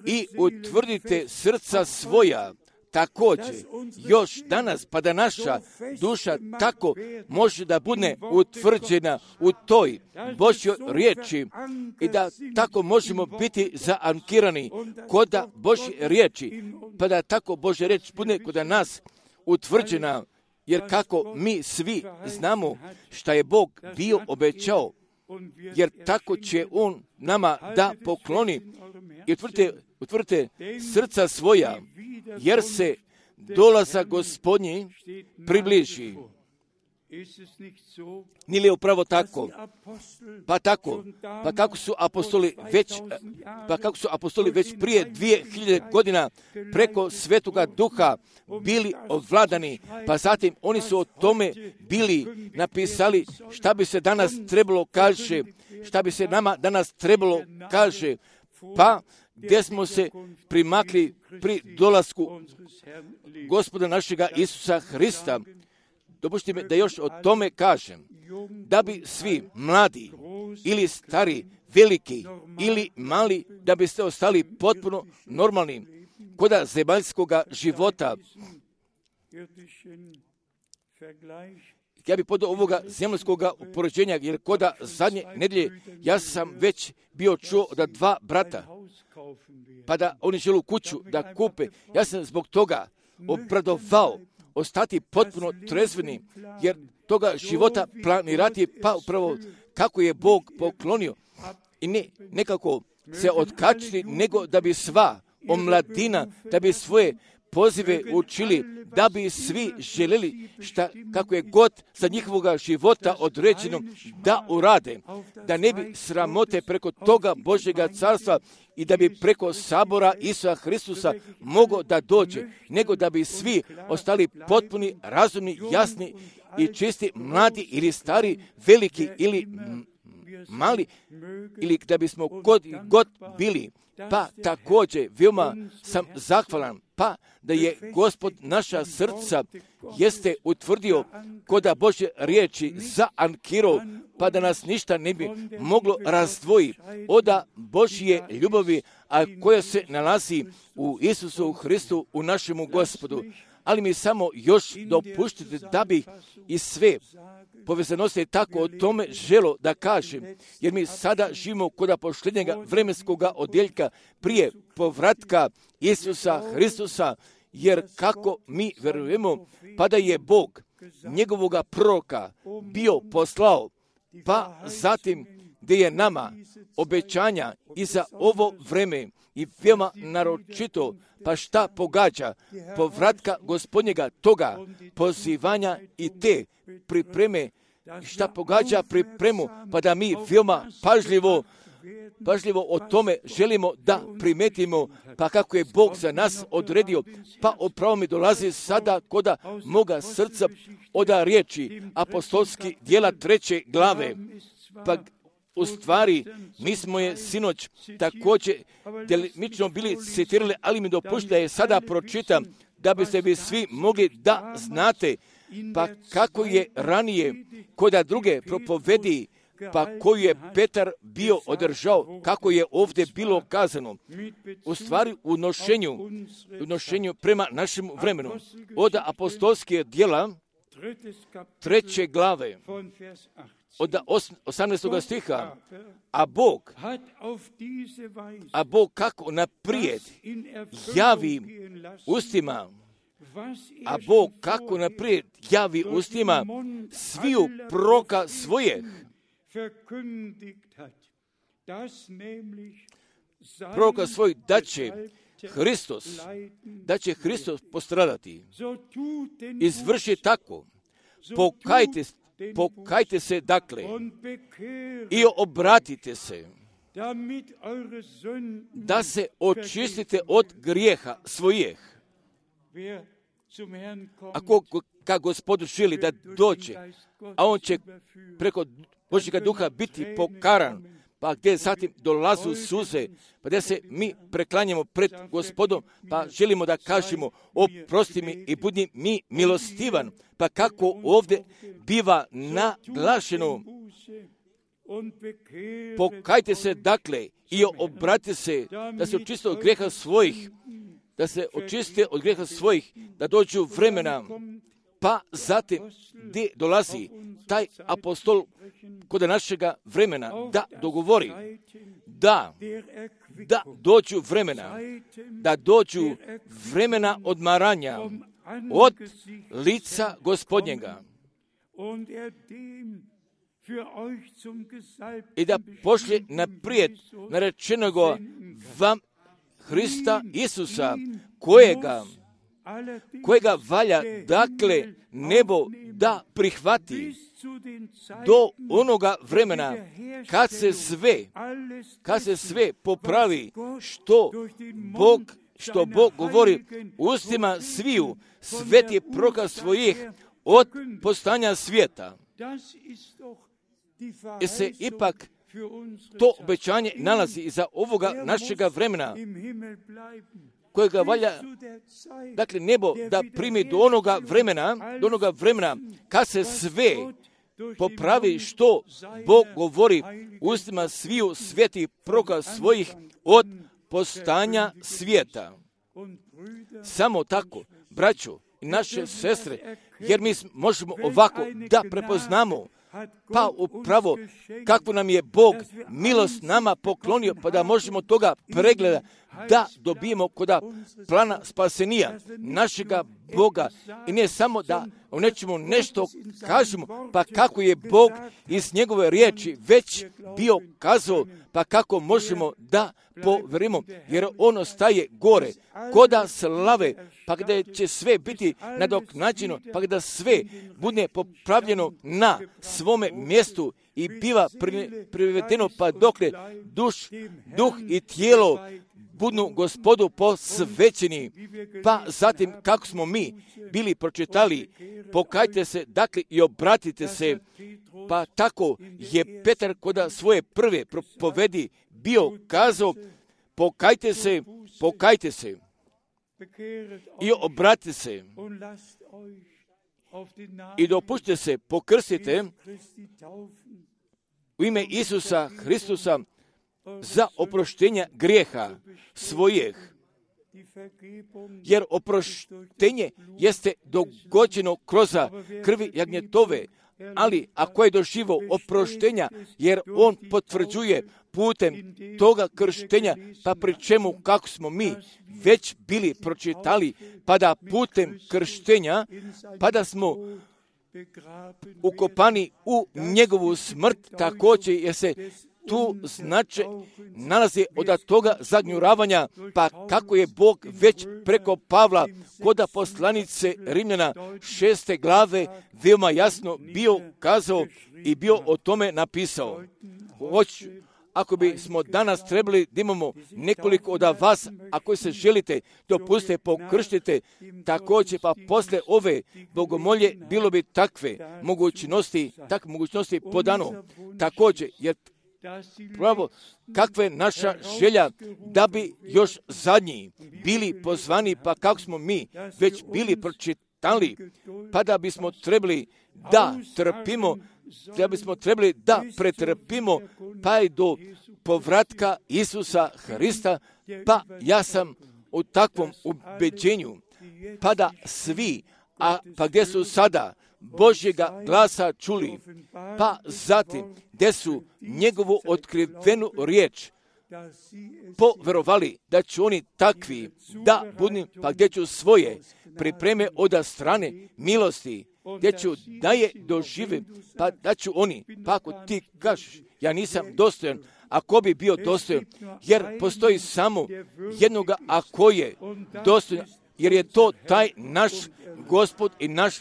i utvrdite srca svoja. Također, još danas, pa da naša duša tako može da bude utvrđena u toj Božjoj riječi i da tako možemo biti zaankirani kod Božje riječi, pa da tako Božja riječ bude kod nas utvrđena, jer kako mi svi znamo šta je Bog bio obećao, jer tako će On nama da pokloni i utvrdite, utvrdite srca svoja, jer se dolazak Gospodnji približi. Nije li upravo tako? Pa tako, pa kako su apostoli već, pa kako su apostoli već prije dvije hiljade godina preko Svetoga Duha bili ovladani, pa zatim oni su o tome bili napisali šta bi se danas trebalo kaže, šta bi se nama danas trebalo kaže, pa gdje smo se primakli pri dolasku Gospoda našega Isusa Hrista. Dopušti mi da još o tome kažem, da bi svi mladi ili stari, veliki ili mali, da biste ostali potpuno normalni koda zemaljskoga života. Ja bih podao ovoga zemaljskoga upoređenja, jer koda zadnje nedjelje ja sam već bio čuo da dva brata, pa da oni žele kuću da kupe. Ja sam zbog toga obradovao, ostati potpuno trezveni, jer toga života planirati pa upravo kako je Bog poklonio i ne nekako se otkačiti, nego da bi sva omladina, da bi svoje pozive učili, da bi svi željeli šta, kako je god za njihovoga života određeno da urade, da ne bi sramote preko toga Božjega carstva i da bi preko sabora Isusa Hristusa mogao da dođe, nego da bi svi ostali potpuni, razumni, jasni i čisti, mladi ili stari, veliki ili mali, ili da bismo god, god bili. Pa također veoma sam zahvalan, pa da je Gospod naša srca jeste utvrdio koda Božje riječi za ankiro, pa da nas ništa ne bi moglo razdvoji od Božje ljubavi, a koja se nalazi u Isusu Hristu, u našemu Gospodu. Ali mi samo još dopuštite da bih i sve povezanosti tako o tome želo da kažem, jer mi sada živimo kod posljednjega vremenskog odjeljka prije povratka Isusa Hristusa, jer kako mi vjerujemo, pa da je Bog njegovoga proroka bio poslao, pa zatim gdje je nama obećanja i za ovo vreme i veoma naročito, pa šta pogađa povratka Gospodnjega toga pozivanja i te pripreme, šta pogađa pripremu, pa da mi veoma pažljivo, pažljivo o tome želimo da primetimo, pa kako je Bog za nas odredio, pa upravo mi dolazi sada koda moga srca od riječi apostolski dijela treće glave, pa u stvari, mi smo je sinoć također delimično bili citirali, ali mi dopušta da je sada pročitam, da biste vi svi mogli da znate, pa kako je ranije koda druge propovedi, pa koju je Petar bio održao, kako je ovdje bilo kazano, u stvari u nošenju, u nošenju prema našem vremenu, od apostolske dijela treće glave, od osamnaestog stiha, a Bog, a Bog kako naprijed javi ustima, a Bog kako naprijed javi ustima sviju proroka svojih, proroka svojih, da će Hristos, da će Hristos postradati. Izvrši tako, pokajte se, Pokajte se dakle i obratite se, da se očistite od grijeha svojih. Ako ka Gospodu želi da dođe, a on će preko Božjega duha biti pokaran, pa gdje zatim dolazu suze, pa gdje se mi preklanjamo pred Gospodom, pa želimo da kažemo oprosti mi i budi mi milostivan, pa kako ovdje biva naglašeno, pokajte se dakle i obratite se, da se očiste od grijeha svojih, da se očiste od grijeha svojih, da dođu vremena, pa zatim gdje dolazi taj apostol kod našega vremena da dogovori da, da dođu vremena, da dođu vremena odmaranja od lica Gospodnjega i da pošlje naprijed narečenoga vam Hrista Isusa, kojega kojega valja, dakle, nebo da prihvati do onoga vremena kad se sve, kad se sve popravi što Bog, što Bog govori ustima sviju svetih proroka svojih od postanja svijeta. I se ipak to obećanje nalazi iza ovoga našega vremena, kojega valja, dakle, nebo da primi do onoga vremena, do onoga vremena kad se sve popravi što Bog govori ustima sviju svetih proroka svojih od postanja svijeta. Samo tako, braćo i naše sestre, jer mi možemo ovako da prepoznamo, pa upravo kako nam je Bog milost nama poklonio, pa da možemo toga pregleda da dobijemo koda plana spasenija našega Boga i ne samo da o nečemu nešto kažemo, pa kako je Bog iz njegove riječi već bio kazao, pa kako možemo da poverimo, jer ono staje gore, koda slave, pa gdje će sve biti nadoknađeno, pa gdje sve bude popravljeno na svome mjestu i biva privedeno, pa dokle duš, duh i tijelo budu Gospodu posvećeni. Pa zatim kako smo mi bili pročitali, pokajte se, dakle, i obratite se, pa tako je Petar koda svoje prve propovedi bio kazao, pokajte se, pokajte se i obratite se i dopušte se, pokrstite u ime Isusa Hristusa za oproštenja grijeha svojih, jer oproštenje jeste dogođeno kroz krvi jagnjetove, ali ako je doživo oproštenja, jer on potvrđuje putem toga krštenja, pa pri čemu kako smo mi već bili pročitali, pa da putem krštenja, pa da smo ukopani u njegovu smrt, također jer se tu znače nalazi od toga zagnjuravanja, pa kako je Bog već preko Pavla koda poslanice Rimljana šeste glave veoma jasno bio kazao i bio o tome napisao. Hoću, ako bi smo danas trebali da imamo nekoliko od vas, ako se želite, dopustite, pokrštite, također pa posle ove bogomolje bilo bi takve mogućnosti, takve mogućnosti podano. Također, jer pravo, kakva je naša želja da bi još zadnji bili pozvani, pa kako smo mi već bili pročitali, pa da bismo trebali da trpimo, da bismo trebali da pretrpimo, pa i do povratka Isusa Hrista, pa ja sam u takvom ubeđenju, pa da svi, a pa gdje su sada Božjega glasa čuli, pa zatim gdje su njegovu otkrivenu riječ poverovali da će oni takvi da budu, pa gdje ću svoje pripreme od strane milosti, gdje ću da je dožive, pa da ću oni, pa ako ti kažeš, ja nisam dostojan, ako bi bio dostojan, jer postoji samo jednoga ako je dostojan, jer je to taj naš Gospod i naš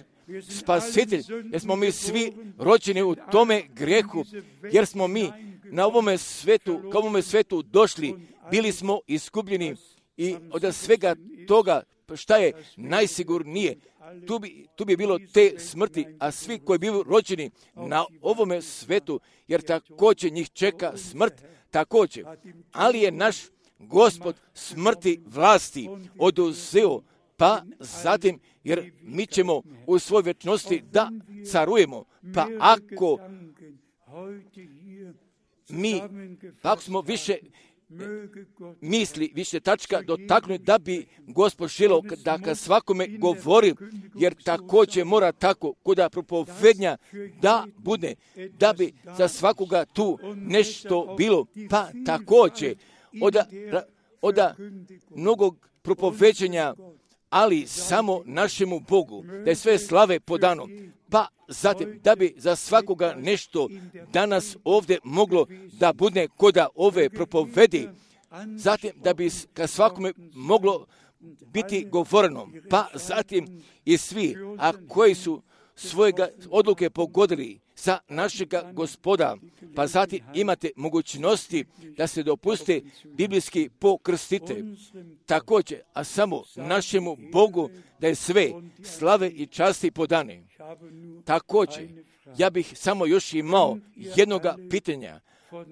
Spasitelj, jer smo mi svi rođeni u tome grehu, jer smo mi na ovome svetu, kao ovome svetu došli, bili smo iskupljeni i od svega toga šta je najsigurnije, tu bi, tu bi bilo te smrti, a svi koji bili rođeni na ovome svetu, jer također njih čeka smrt, također, ali je naš Gospod smrti vlasti oduzeo, pa zatim, jer mi ćemo u svojoj vječnosti da carujemo, pa ako mi, pa ako smo više misli, više tačka dotaknuli da bi Gospod želeo da ka svakome govori, jer također mora tako kuda propovednja da bude, da bi za svakoga tu nešto bilo, pa također od, od mnogog propoveđenja, ali samo našemu Bogu, da je sve slave podano, pa zatim da bi za svakoga nešto danas ovdje moglo da bude koda ove propovedi, zatim da bi ka svakome moglo biti govoreno, pa zatim i svi, a koji su svojega odluke pogodili za našega Gospoda, pa zatim imate mogućnosti da se dopuste biblijski pokrstite. Također, a samo našemu Bogu da je sve slave i časti podane. Također, ja bih samo još imao jednoga pitanja,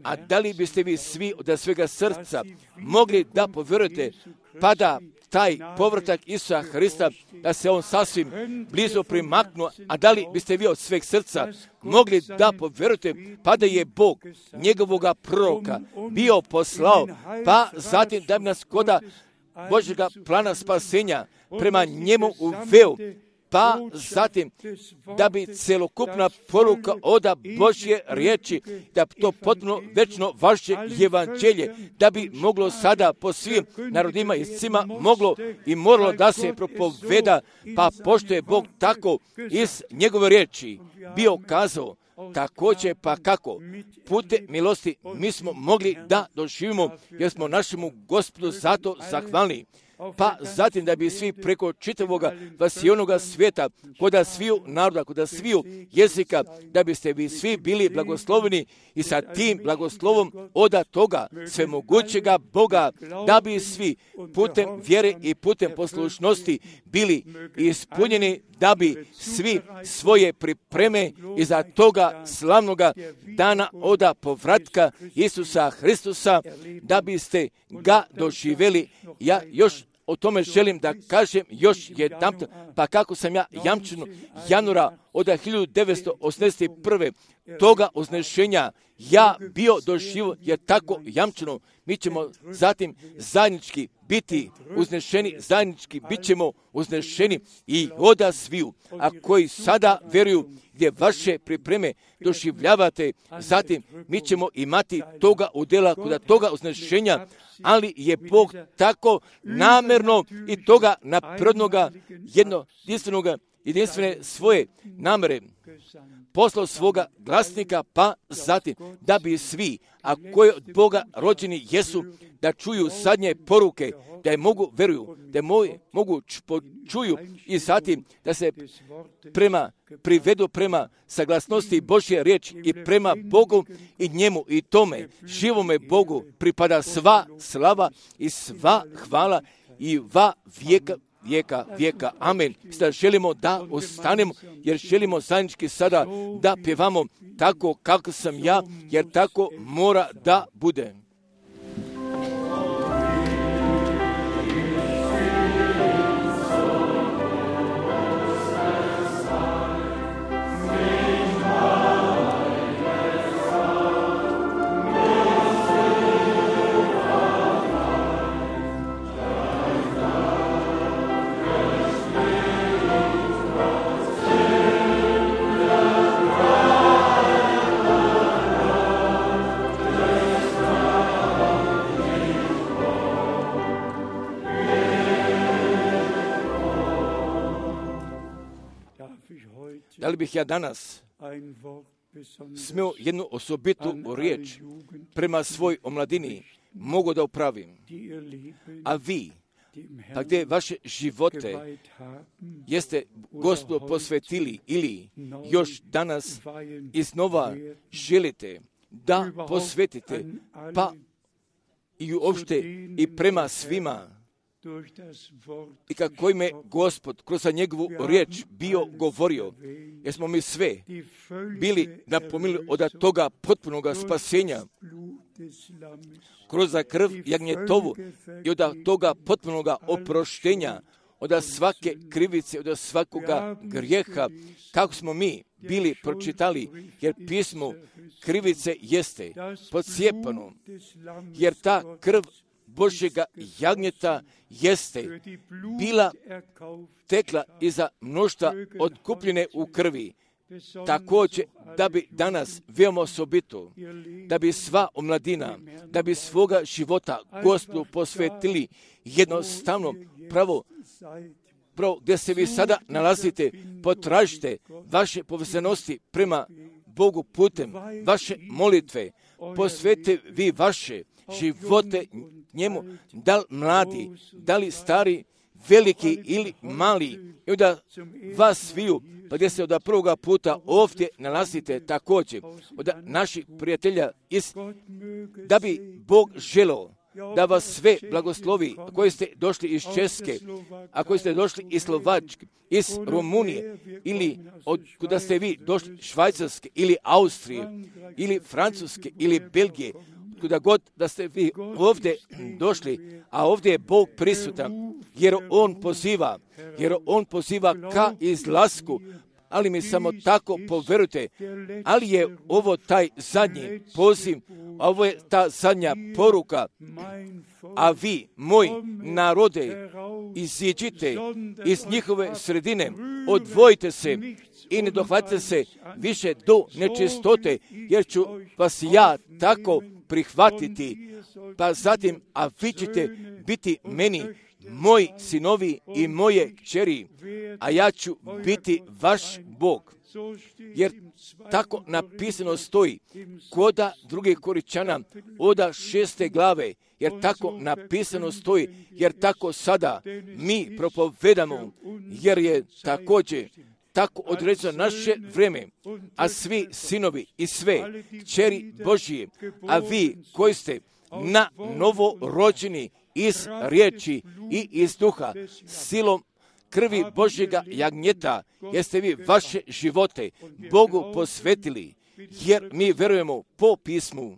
a da li biste vi svi od svega srca mogli da povjerujete, pa da taj povratak Isusa Hrista, da se on sasvim blizu primaknuo, a da li biste vi od sveg srca mogli da povjerujete, pa da je Bog njegovoga proroka bio poslao, pa zatim da bi nas koda Božjega plana spasenja prema njemu uveo, pa zatim da bi celokupna poruka oda Božje riječi, da to potpuno večno vaše evanđelje, da bi moglo sada po svim narodima i svima moglo i moralo da se propoveda, pa pošto je Bog tako iz njegove riječi bio kazao, također pa kako putem milosti mi smo mogli da doživimo, jer smo našemu Gospodu zato zahvalni. Pa zatim da bi svi preko čitavoga vasionoga svijeta, koda sviju naroda, koda sviju jezika, da biste vi svi bili blagosloveni i sa tim blagoslovom oda toga svemogućega Boga, da bi svi putem vjere i putem poslušnosti bili ispunjeni, da bi svi svoje pripreme iza toga slavnoga dana oda povratka Isusa Hristusa, da biste ga doživjeli. Ja još o tome želim da kažem još jedan, pa kako sam ja jamčeno januara od hiljadu devetsto osamdeset prve toga uznešenja ja bio doživio, jer tako jamčeno mi ćemo zatim zajednički biti uznešeni, zajednički bit ćemo uznešeni i oda sviju, a koji sada vjeruju gdje vaše pripreme doživljavate, zatim mi ćemo imati toga udjela kod toga uznešenja, ali je Bog tako namjerno i toga naprednoga, jednostavnoga, jedinstvene svoje namere poslao svoga glasnika, pa zatim da bi svi, a koji od Boga rođeni jesu, da čuju sadnje poruke, da je mogu veruju, da je mogu, mogu čuju i zatim da se prema privedu prema saglasnosti Božje riječi i prema Bogu i njemu i tome živome Bogu pripada sva slava i sva hvala i va vijeka vijeka, vijeka. Amen. Sada želimo da ostanemo, jer želimo zajednički sada da pjevamo tako kako sam ja, jer tako mora da bude. Da li bih ja danas smio jednu osobitu riječ prema svoj omladini mogu da upravim, a vi, pa gdje vaše živote jeste Gospodu posvetili ili još danas iznova želite da posvetite, pa i uopšte i prema svima, i kako ime Gospod kroz njegovu riječ bio govorio, jer smo mi sve bili napomili od toga potpunog spasenja kroz krv jagnjetovu i od toga potpunog oproštenja, od svake krivice, od svakoga grijeha, kako smo mi bili pročitali, jer pismo krivice jeste podcijepano, jer ta krv Božjega jagnjeta jeste bila tekla iza mnoštva otkupljene u krvi. Također da bi danas veoma osobito, da bi sva omladina, da bi svoga života Gospodu posvetili jednostavno pravo, pravo gdje se vi sada nalazite, potražite vaše povezanosti prema Bogu putem vaše molitve, posvetite vi vaše živote njemu, da li mladi, da li stari, veliki ili mali, i da vas sviju, pa gdje se od prvoga puta ovdje nalazite također, od naših prijatelja, iz, da bi Bog želeo da vas sve blagoslovi, koji ste došli iz Česke, a koji ste došli iz Slovačke, iz Rumunije, ili od kuda ste vi došli Švajcarske, ili Austrije, ili Francuske, ili Belgije, kuda god da ste vi ovdje došli, a ovdje je Bog prisutan, jer On poziva, jer On poziva ka izlasku, ali mi samo tako poverujte, ali je ovo taj zadnji poziv, ovo je ta zadnja poruka, a vi, moj narode, iziđite iz njihove sredine, odvojite se i ne dohvatite se više do nečistote, jer ću vas ja tako prihvatiti, pa zatim, a vi ćete biti meni moji sinovi i moje kćeri, a ja ću biti vaš Bog. Jer tako napisano stoji koda drugih Koričana oda šeste glave, jer tako napisano stoji, jer tako sada mi propovedamo, jer je također tako određeno naše vrijeme, a svi sinovi i sve kćeri Božije, a vi koji ste na novo rođeni iz riječi i iz duha, silom krvi Božjega jagnjeta, jeste vi vaše živote Bogu posvetili, jer mi verujemo po pismu.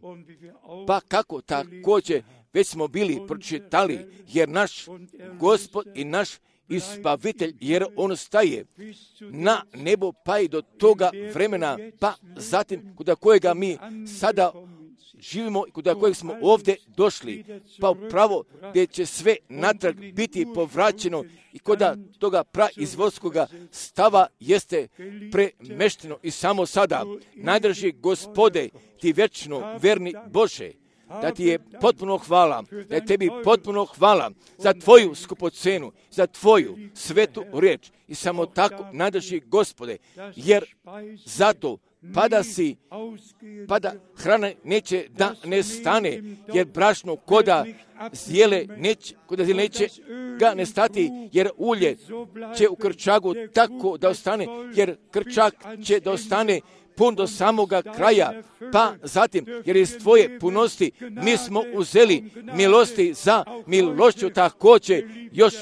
Pa kako također već smo bili pročitali, jer naš Gospod i naš Ispavitelj, jer on staje na nebo pa i do toga vremena, pa zatim kod kojega mi sada živimo i kod kojeg smo ovdje došli, pa upravo gdje će sve natrag biti povraćeno i kod toga praizvorskoga stava jeste premešteno i samo sada, najdrži Gospode, ti vječno verni Bože, da ti je potpuno hvala, da je tebi potpuno hvala za tvoju skupocenu, za tvoju svetu riječ i samo tako najdrži Gospode, jer zato pada si, pada hrana neće da ne stane, jer brašno koda zijele neće, koda zijele neće ga ne stati, jer ulje će u krčagu tako da ostane, jer krčak će da ostane pun do samoga kraja, pa zatim, jer iz tvoje punosti mi smo uzeli milosti za milošću također još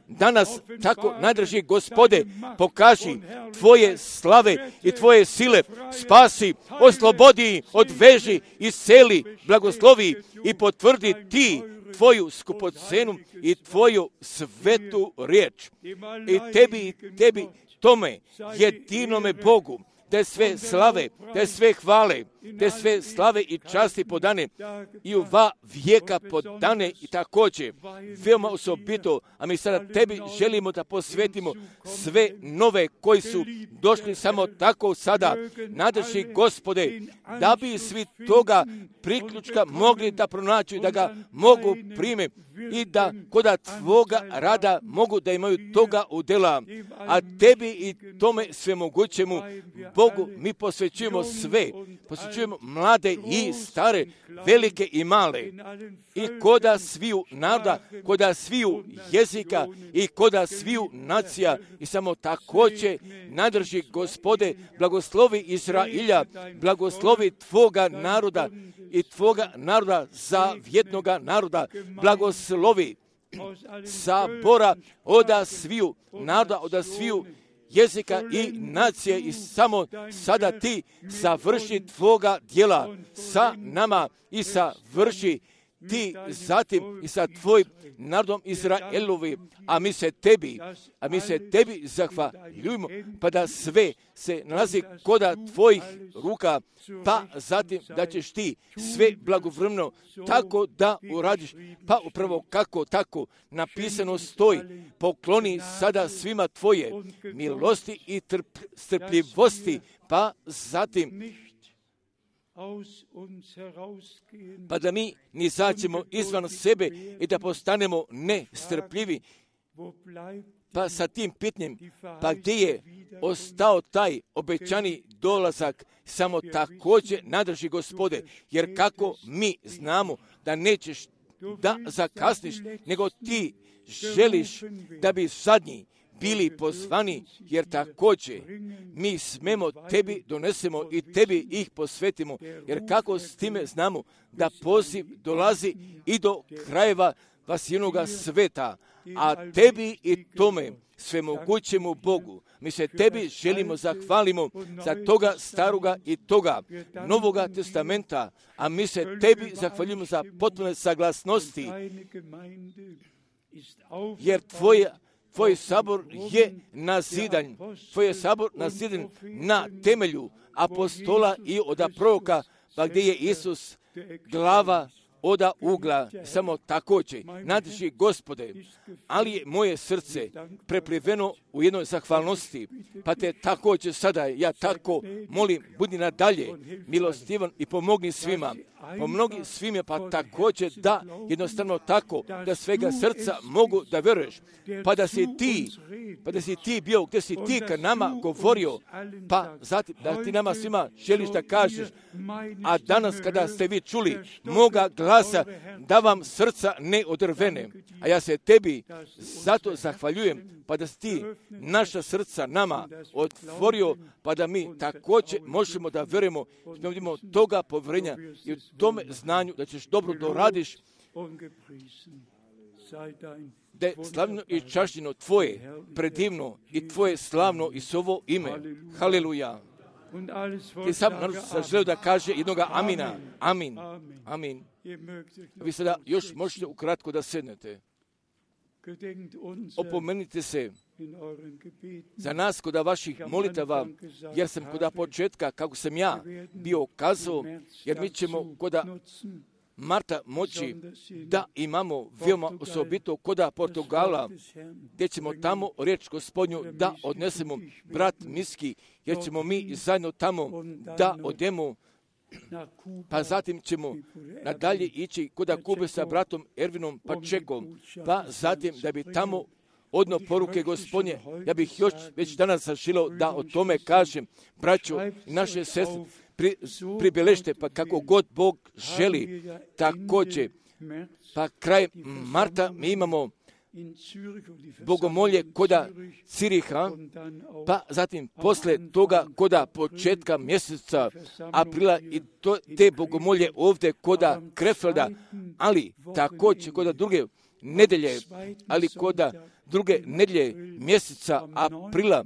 danas tako najdrži Gospode, pokaži tvoje slave i tvoje sile, spasi, oslobodi, odveži, isceli, blagoslovi i potvrdi ti tvoju skupocenu i tvoju svetu riječ. I tebi, i tebi, tome jedinome Bogu, te sve slave, te sve hvale, te sve slave i časti podane i u va vijeka podane i također veoma osobito, a mi sada tebi želimo da posvetimo sve nove koji su došli samo tako sada, nadrži Gospode, da bi svi toga priključka mogli da pronaći, da ga mogu prime i da koda tvoga rada mogu da imaju toga udjela, a tebi i tome svemogućemu Bogu mi posvećujemo sve, posvećujemo mlade i stare, velike i male, i koda sviju naroda, koda sviju jezika i koda sviju nacija, i samo također nadrži Gospode, blagoslovi Izrailja, blagoslovi tvoga naroda i tvoga naroda, zavjetnoga naroda, blagoslovi sabora oda sviju naroda, oda sviju jezika i nacije, i samo sada ti završi tvoga djela sa nama i savrši ti zatim i sa tvojim narodom Izraelovi, a mi se tebi, a mi se tebi zahvaljujemo, pa da sve se nalazi koda tvojih ruka, pa zatim da ćeš ti sve blagovremeno tako da uradiš, pa upravo kako tako napisano stoji, pokloni sada svima tvoje milosti i trp, strpljivosti, pa zatim pa da mi ni izađemo izvan sebe i da postanemo nestrpljivi. Pa sa tim pitanjem, pa gdje je ostao taj obećani dolazak, samo također nadrži Gospode, jer kako mi znamo da nećeš da zakasniš, nego ti želiš da bi zadnji bili pozvani, jer također mi smemo tebi donesemo i tebi ih posvetimo, jer kako s time znamo da poziv dolazi i do krajeva vasijenoga sveta, a tebi i tome svemogućemu Bogu mi se tebi želimo zahvalimo za toga staroga i toga novoga testamenta, a mi se tebi zahvaljujemo za potpune saglasnosti, jer tvoja tvoj sabor je nazidan, tvoj je sabor nazidan na temelju apostola i od proroka, pa gdje je Isus glava oda ugla, samo također, nadiši Gospode, ali je moje srce prepliveno u jednoj zahvalnosti, pa te također sada, ja tako molim, budi nadalje milostivan i pomogni svima, pomogni svima, pa također da jednostavno tako, da svega srca mogu da veruješ, pa da si ti, pa da si ti bio, gdje si ti ka nama govorio, pa zatim da ti nama svima želiš da kažeš, a danas kada ste vi čuli moga glasa, da vam srca ne odrvene, a ja se tebi zato zahvaljujem, pa da si ti naša srca nama otvorio, pa da mi također možemo da verujemo, da imamo toga povjerenja i u tome znanju da ćeš dobro doradiš, da je slavno i čašćeno tvoje, predivno i tvoje slavno i sovo ime. Haleluja. I sam narod sam želeo da kaže jednoga amina. Amin. Amin. Vi sada još možete ukratko da sednete. Opomenite se za nas kod vaših molitava, jer sam kod početka, kako sam ja bio kazao, jer mi ćemo kod marta moći da imamo veoma osobito kod Portugala, gdje ćemo tamo riječ Gospodnju da odnesemo brat Miski, jer ćemo mi zajedno tamo da odemo, pa zatim ćemo nadalje ići kod Kube sa bratom Ervinom Pačekom, pa zatim da bi tamo odno poruke Gospodnje, ja bih još već danas zaželio da o tome kažem, braćo i naše sestre, pri, pribeležite, pa kako god Bog želi, također, pa kraj marta mi imamo bogomolje koda Ciriha, pa zatim posle toga koda početka mjeseca aprila i to, te bogomolje ovdje koda Krefelda, ali također koda druge nedelje, ali koda druge nedelje mjeseca aprila,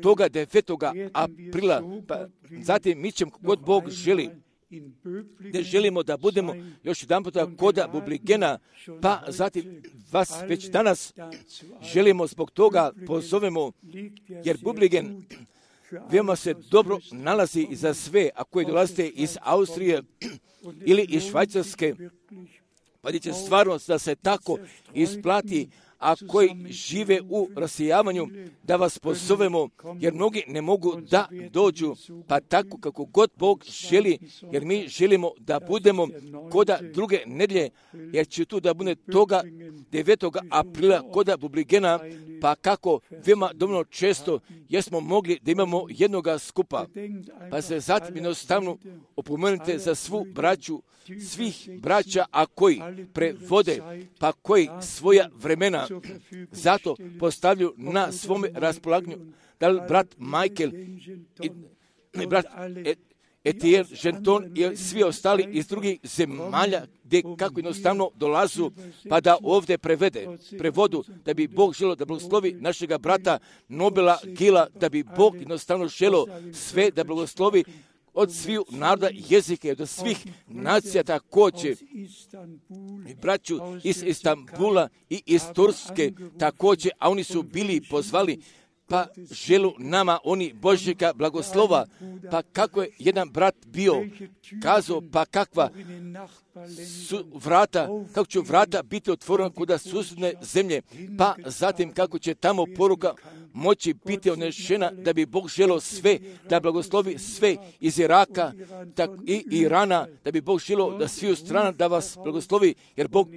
toga devetoga aprila, pa zatim mi ćemo kod Bog želi, gdje želimo da budemo još jedan puta koda Bubligena, pa zatim vas već danas želimo zbog toga pozovemo, jer Bubligen veoma se dobro nalazi za sve, a koji dolazite iz Austrije ili iz Švajcarske, pa će stvarno da se tako isplati, a koji žive u rasijavanju, da vas pozovemo, jer mnogi ne mogu da dođu, pa tako kako god Bog želi, jer mi želimo da budemo koda druge nedelje, jer će tu da bude toga devetoga aprila koda Bubligena, pa kako veoma dovoljno često jesmo mogli da imamo jednoga skupa. Pa se zatim jednostavno opomenite za svu braću, svih braća, a koji prevode, pa koji svoja vremena zato postavljaju na svome raspolaganju. Da li brat Michael i, i brat Etiel, Ženton i svi ostali iz drugih zemalja gdje kako jednostavno dolazu pa da ovdje prevede, prevodu, da bi Bog želio da blagoslovi našega brata Nobela Gila, da bi Bog jednostavno želio sve da blagoslovi od svih naroda jezike, od svih nacija također. I braću iz Istanbula i iz Turske također, a oni su bili pozvali, pa želu nama oni Božjega blagoslova, pa kako je jedan brat bio kazao, pa kakva su vrata, kako će vrata biti otvorena kuda susjedne zemlje, pa zatim kako će tamo poruka moći biti odnešena, da bi Bog želio sve, da blagoslovi sve iz Iraka tak, i Irana, da bi Bog želio da svi u strana da vas blagoslovi, jer Bog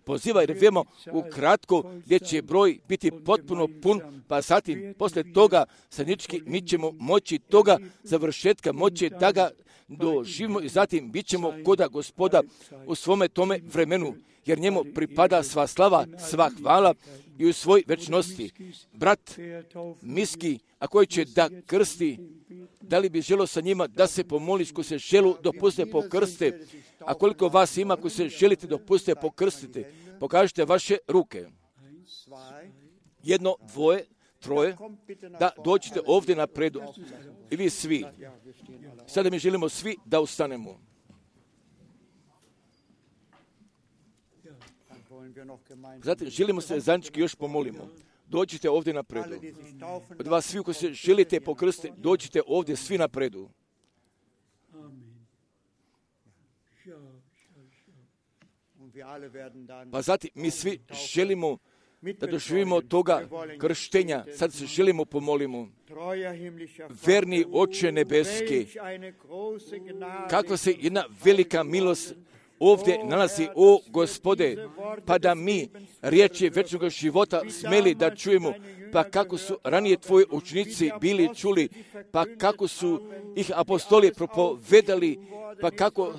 poziva, jer vemo ukratko gdje će broj biti potpuno pun, pa zatim posle toga sadnički mi ćemo moći toga završetka, moći da ga doživimo i zatim bit ćemo koda Gospoda u svome tome vremenu, jer njemu pripada sva slava, sva hvala i u svoj večnosti. Brat Miski, a koji će da krsti, da li bi želo sa njima da se pomoliš ko se želu dopuste pokrste, a koliko vas ima ko se želite dopuste pokrstite, pokažite vaše ruke. Jedno, dvoje, troje, da dođete ovdje napredu. I vi svi. Sada mi želimo svi da ustanemo. Zatim želimo se zajednički još pomolimo. Dođite ovdje napredu. Od vas svi koji se želite pokrstiti, dođite ovdje svi napredu. Pa zatim mi svi želimo da doživimo toga krštenja. Sad se želimo pomolimo. Verni Oče nebeski, kakva se jedna velika milost ovdje nalazi, o Gospode, pa da mi riječi večnog života smeli da čujemo, pa kako su ranije tvoji učenici bili čuli, pa kako su ih apostoli propovedali, pa kako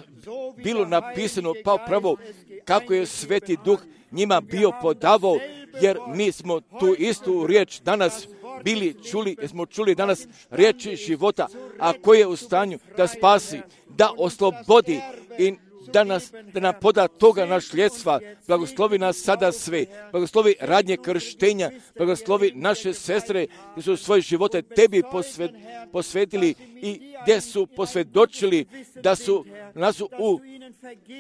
bilo napisano, pa upravo kako je Sveti Duh njima bio podavao, jer mi smo tu istu riječ danas bili čuli, jer smo čuli danas riječi života, a koji je u stanju da spasi, da oslobodi i da, nas, da nam poda toga našljedstva. Blagoslovi nas sada sve. Blagoslovi radnje krštenja. Blagoslovi naše sestre koji su svoje živote tebi posvet, posvetili i gdje su posvjedočili da su nas u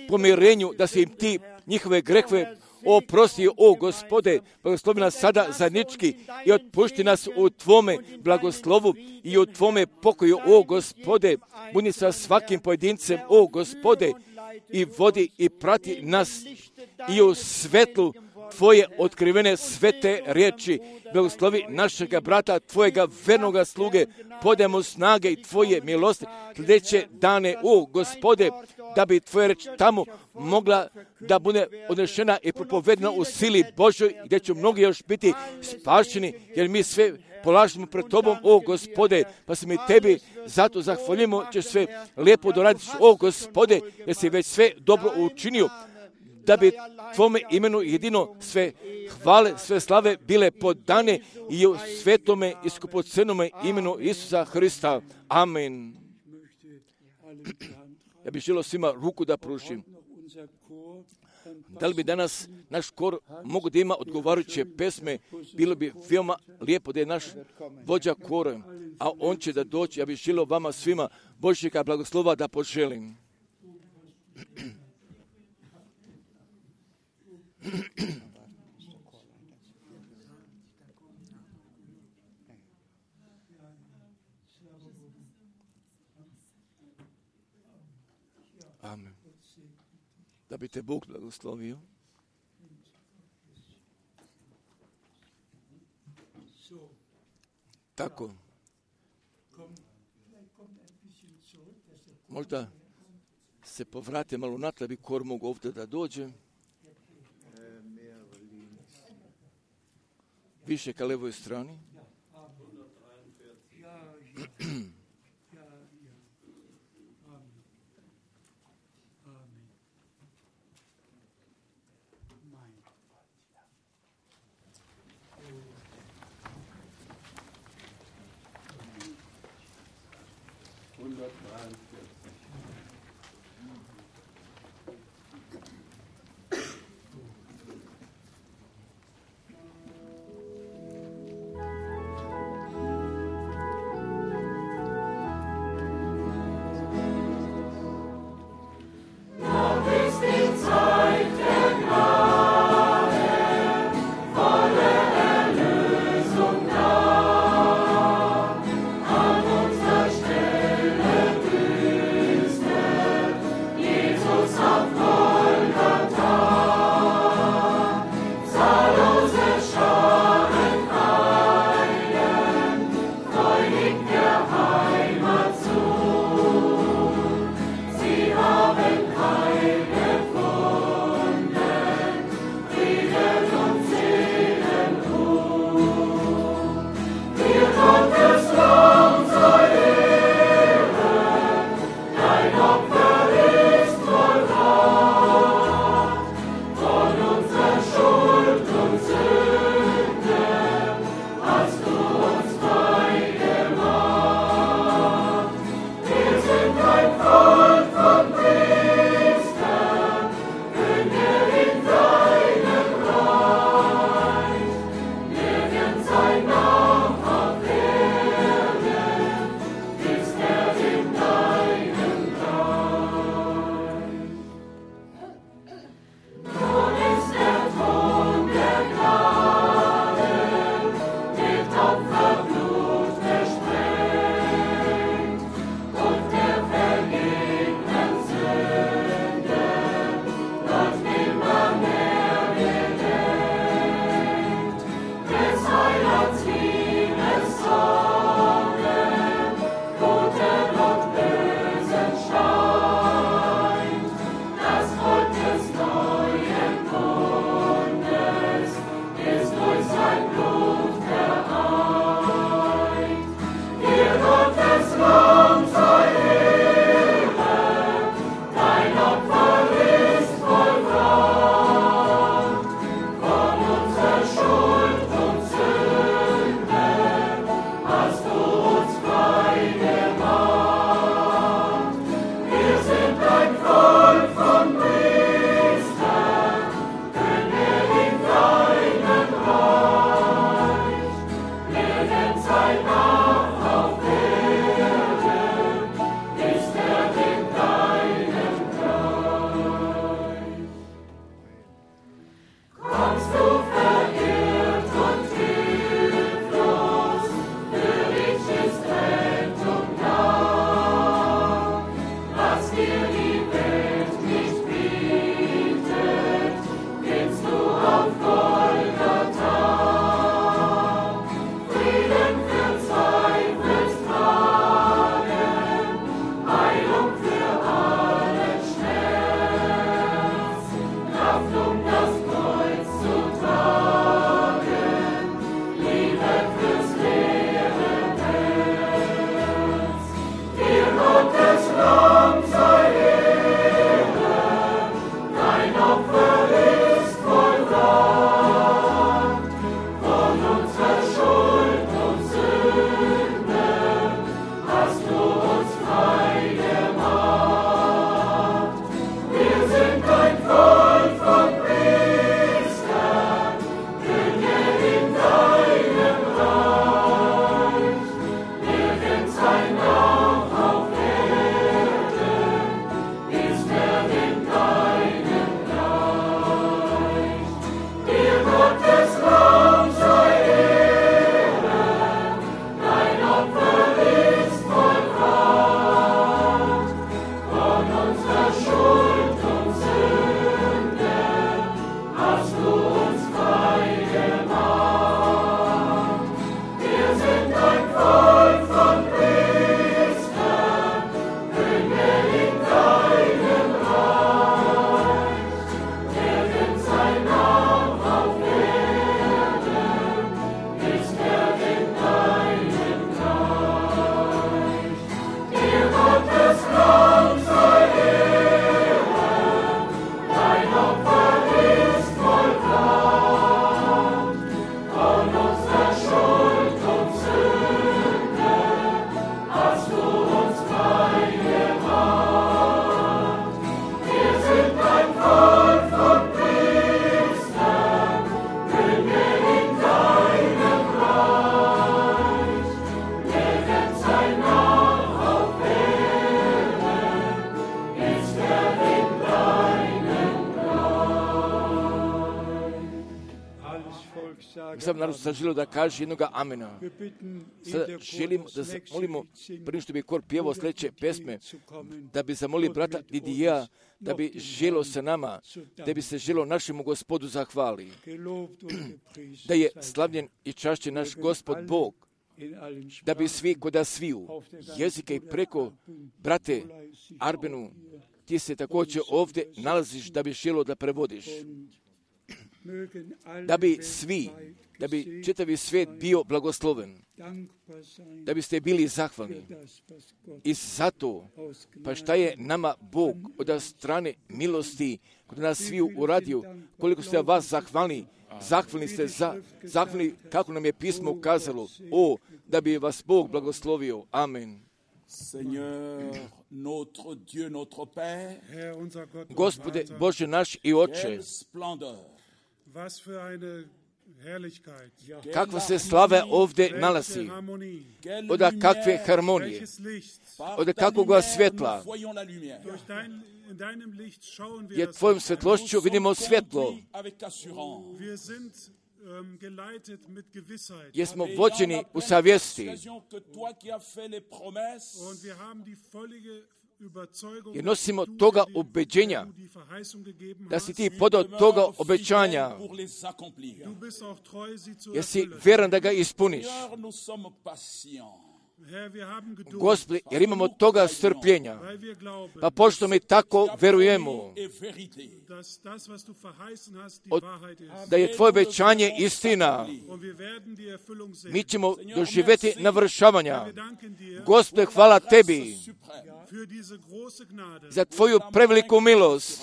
pomirenju, da si im ti njihove grehove oprosti, o Gospode. Blagoslovi nas sada zajednički i otpušti nas u tvome blagoslovu i u tvome pokoju, o Gospode. Budi sa svakim pojedincem, o Gospode, i vodi i prati nas i u svetlu tvoje otkrivene svete riječi. Blagoslovi našega brata, tvojega vernoga sluge, podajemo snage i tvoje milosti sljedeće dane, o Gospode, da bi tvoja reč tamo mogla da bude odnešena i propovedena u sili Božoj, gdje će mnogi još biti spašeni, jer mi sve polažemo pred tobom, o Gospode, pa se mi tebi zato zahvaljujemo, ćeš sve lijepo doraditi, o Gospode, jer si već sve dobro učinio, da bi tvome imenu jedino sve hvale, sve slave bile podane i u svetome i skupocenome imenu Isusa Hrista. Amen. Ja bih želio svima ruku da pružim. Da li bi danas naš kor mogu da ima odgovarajuće pesme, bilo bi veoma lijepo da je naš vođa kora, a on će da doći. Ja bih želio vama svima Božjega blagoslova da poželim. Amen. Da bi te Bog blagoslovio. Tako. Možda se povrate malo natrag, bi kor mogu ovdje da dođe. Više ka levoj strani. An unserer Stelle Sam naravno sam želio da kaže jednoga amena. Sada želimo da zamolimo, prije što bi kor pjevao sljedeće pesme, da bi zamolili brata Didija, da bi želio sa nama, da bi se želio našemu Gospodu zahvali. Da je slavljen i čašćen naš Gospod Bog, da bi svi koda sviju jezike i preko, brate Arbenu, ti se također ovdje nalaziš da bi želio da prevodiš. Da bi svi, da bi čitavi svijet bio blagosloven, da biste bili zahvalni. I zato, pa šta je nama Bog od strane milosti kod nas sviju uradio, koliko ste vas zahvalni, zahvalni ste za, zahvalni kako nam je pismo ukazalo, o, da bi vas Bog blagoslovio. Amen. Seigneur, notre Dieu, notre Père, Gospode, Bože naš i Oče, quelle splendeur, kakva se slava ovdje nalazi, od kakve harmonije, od kakvoga svjetla, jer tvojom svjetlošću vidimo svjetlo, jer smo vođeni u savjesti, jer nosimo toga ubeđenja, da si ti podao toga obećanja, jer si vjeran da ga ispuniš. Gospodi, jer imamo toga strpljenja, pa pošto mi tako verujemo, od, da je tvoje obećanje istina, mi ćemo doživjeti navršavanja. Gospode, hvala tebi za tvoju preveliku milost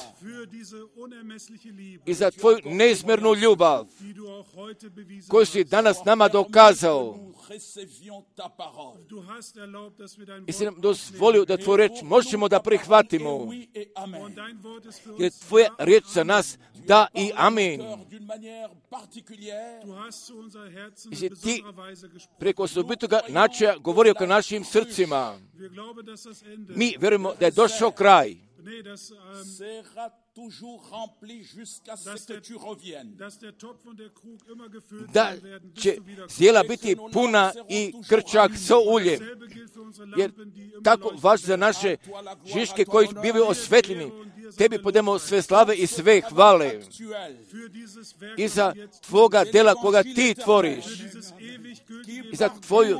i za tvoju neizmjernu ljubav koju si danas nama dokazao. I si nam dozvolio da tvoju reč možemo da prihvatimo. Jer tvoja riječ za nas da i amin. I si ti preko osobitoga načina govorio ka našim srcima. Mi vjerujemo da je došao kraj. Da će zdjela biti puna i krčak sa uljem. Jer tako važi za naše žiške koji bivaju osvetljeni. Tebi podemo sve slave i sve hvale. I za tvoga dela koga ti tvoriš. I za tvoju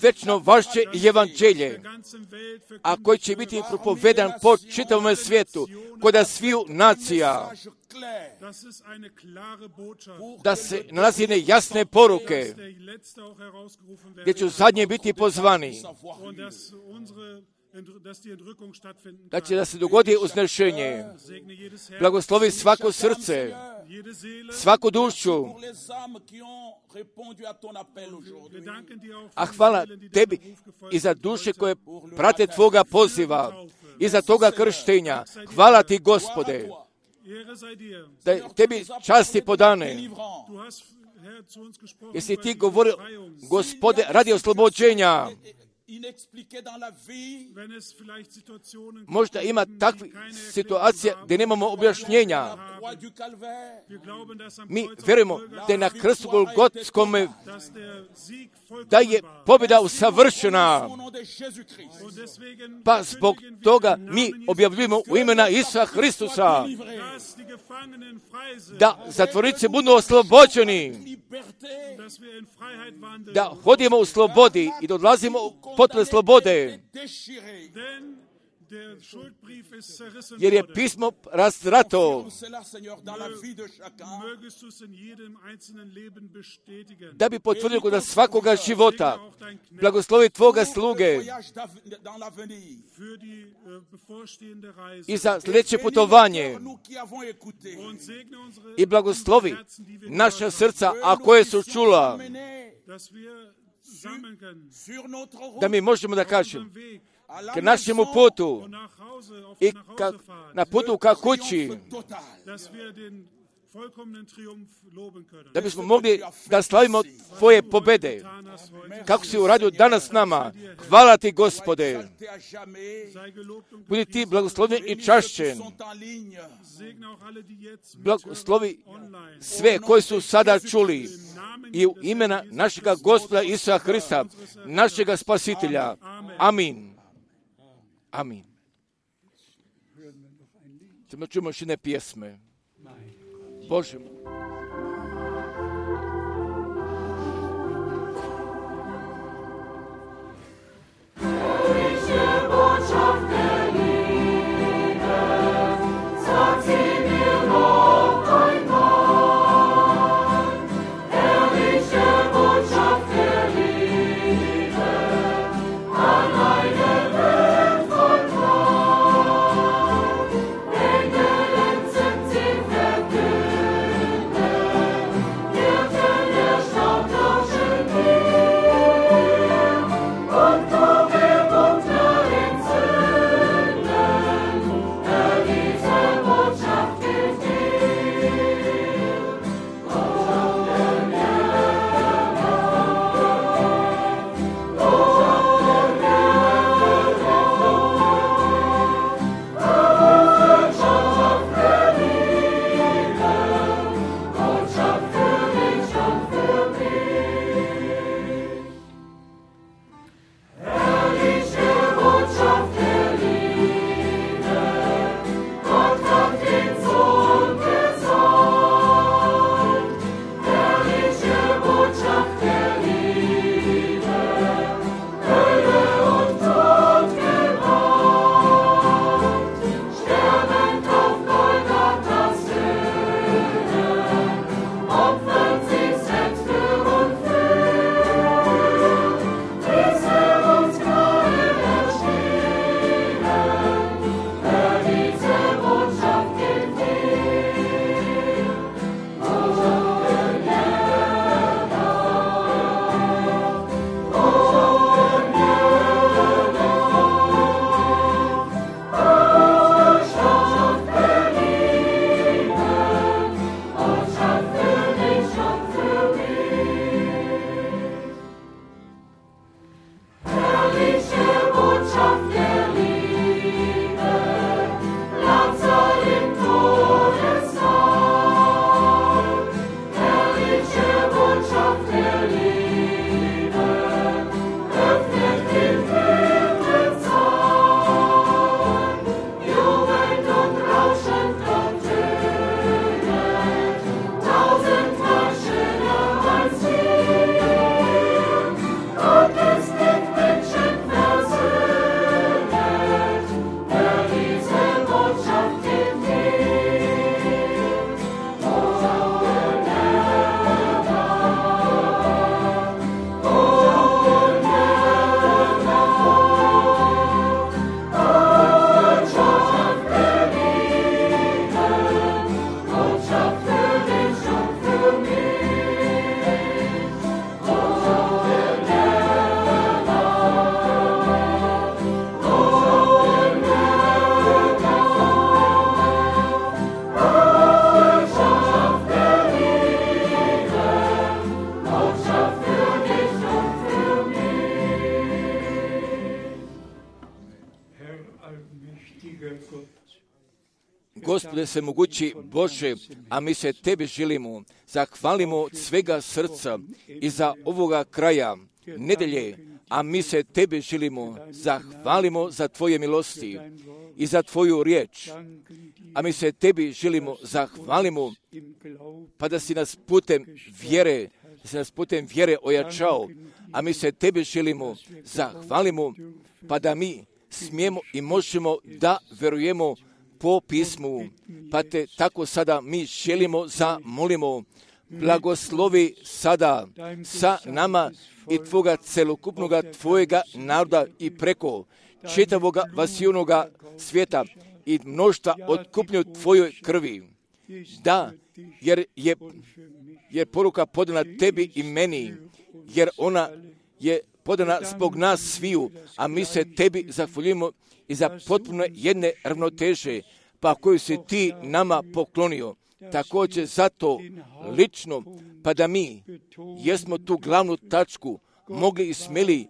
večno vašće i evanđelje. A koji će biti propovedan po čitavom svijetu. Koda sviju nacija. Da se nalazi jedne jasne poruke. Gdje će zadnje biti pozvani. Da će da se dogodi uznešenje. Blagoslovi svako srce, svaku dušu. A hvala tebi i za duše koje prate tvoga poziva i za toga krštenja. Hvala ti, Gospode, da tebi časti podane. Jesi ti govorio, Gospode, radi oslobođenja. Možda ima takvih situacija gdje nemamo objašnjenja. Mi vjerujemo da je na krstu Golgotskom da je pobjeda usavršena. Pa zbog toga mi objavljujemo u imena Isusa Hristusa da zatvornici budu oslobođeni, da hodimo u slobodi i da odlazimo u potpune slobode. Jer je pismo razrato da bi potvrdio kod svakoga života. Blagoslovi tvoga sluge i za sljedeće putovanje i blagoslovi naša srca, a koje su čula, da mi možemo da kažemo k našemu putu i ka, na putu ka kući, da bismo mogli da slavimo tvoje pobjede, kako si uradio danas s nama. Hvala ti, Gospode. Budi ti blagoslovljen i čašćen. Blagoslovi sve koji su sada čuli i u imena našega Gospoda Isusa Hrista, našega Spasitelja. Amin. Amin. Samo čujemo još jedne pjesme. Bože moj. Gospode svemogući Bože, a mi se Tebe želimo, zahvalimo od svega srca i za ovoga kraja nedelje, a mi se Tebe želimo, zahvalimo za Tvoje milosti i za Tvoju riječ, a mi se Tebi želimo, zahvalimo, pa da si nas putem vjere, da si nas putem vjere ojačao, a mi se Tebe želimo, zahvalimo, pa da mi smijemo i možemo da verujemo po pismu, pa Te tako sada mi želimo, zamolimo, blagoslovi sada sa nama i Tvoga celokupnoga Tvojega naroda i preko čitavoga vasijonoga svijeta i mnoštva otkupnju Tvojoj krvi. Da, jer je, jer poruka podana Tebi i meni, jer ona je podana zbog nas sviju, a mi se Tebi zahvaljujemo i za potpuno jedne ravnoteže, pa koju si Ti nama poklonio. Također zato lično, pa da mi jesmo tu glavnu tačku mogli i smjeli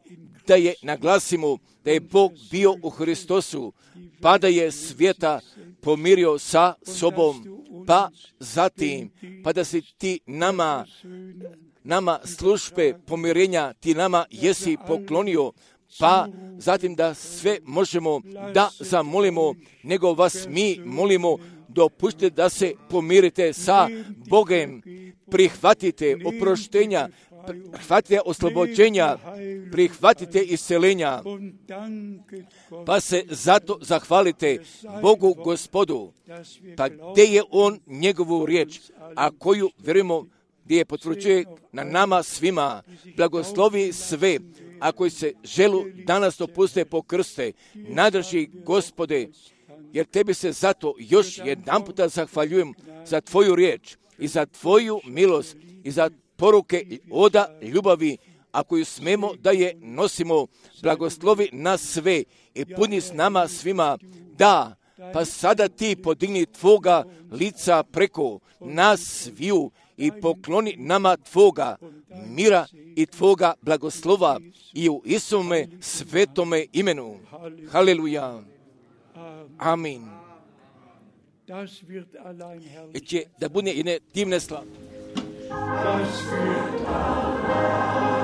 da je naglasimo da je Bog bio u Hristosu, pa da je svijeta pomirio sa sobom, pa zatim, pa da si Ti nama nama službe pomirenja ti nama jesi poklonio, pa zatim da sve možemo da zamolimo, nego vas mi molimo, dopustite da se pomirite sa Bogem, prihvatite oproštenja, prihvatite oslobođenja, prihvatite iscelenja, pa se zato zahvalite Bogu Gospodu. Pa gdje je On njegovu riječ, a koju vjerujemo gdje je potvrđuje na nama svima, blagoslovi sve, a koji se želu danas dopuste po krste, nadrži Gospode, jer tebi se zato još jedan puta zahvaljujem za tvoju riječ i za tvoju milost i za poruke oda ljubavi, a koju smemo da je nosimo. Blagoslovi nas sve i puni s nama svima. Da, pa sada ti podigni tvoga lica preko nas sviju i pokloni nama tvoga mira i tvoga blagoslova i u Isome svetome imenu. Haleluja. Amin. I će da bude jedne divne slave. Das wird allein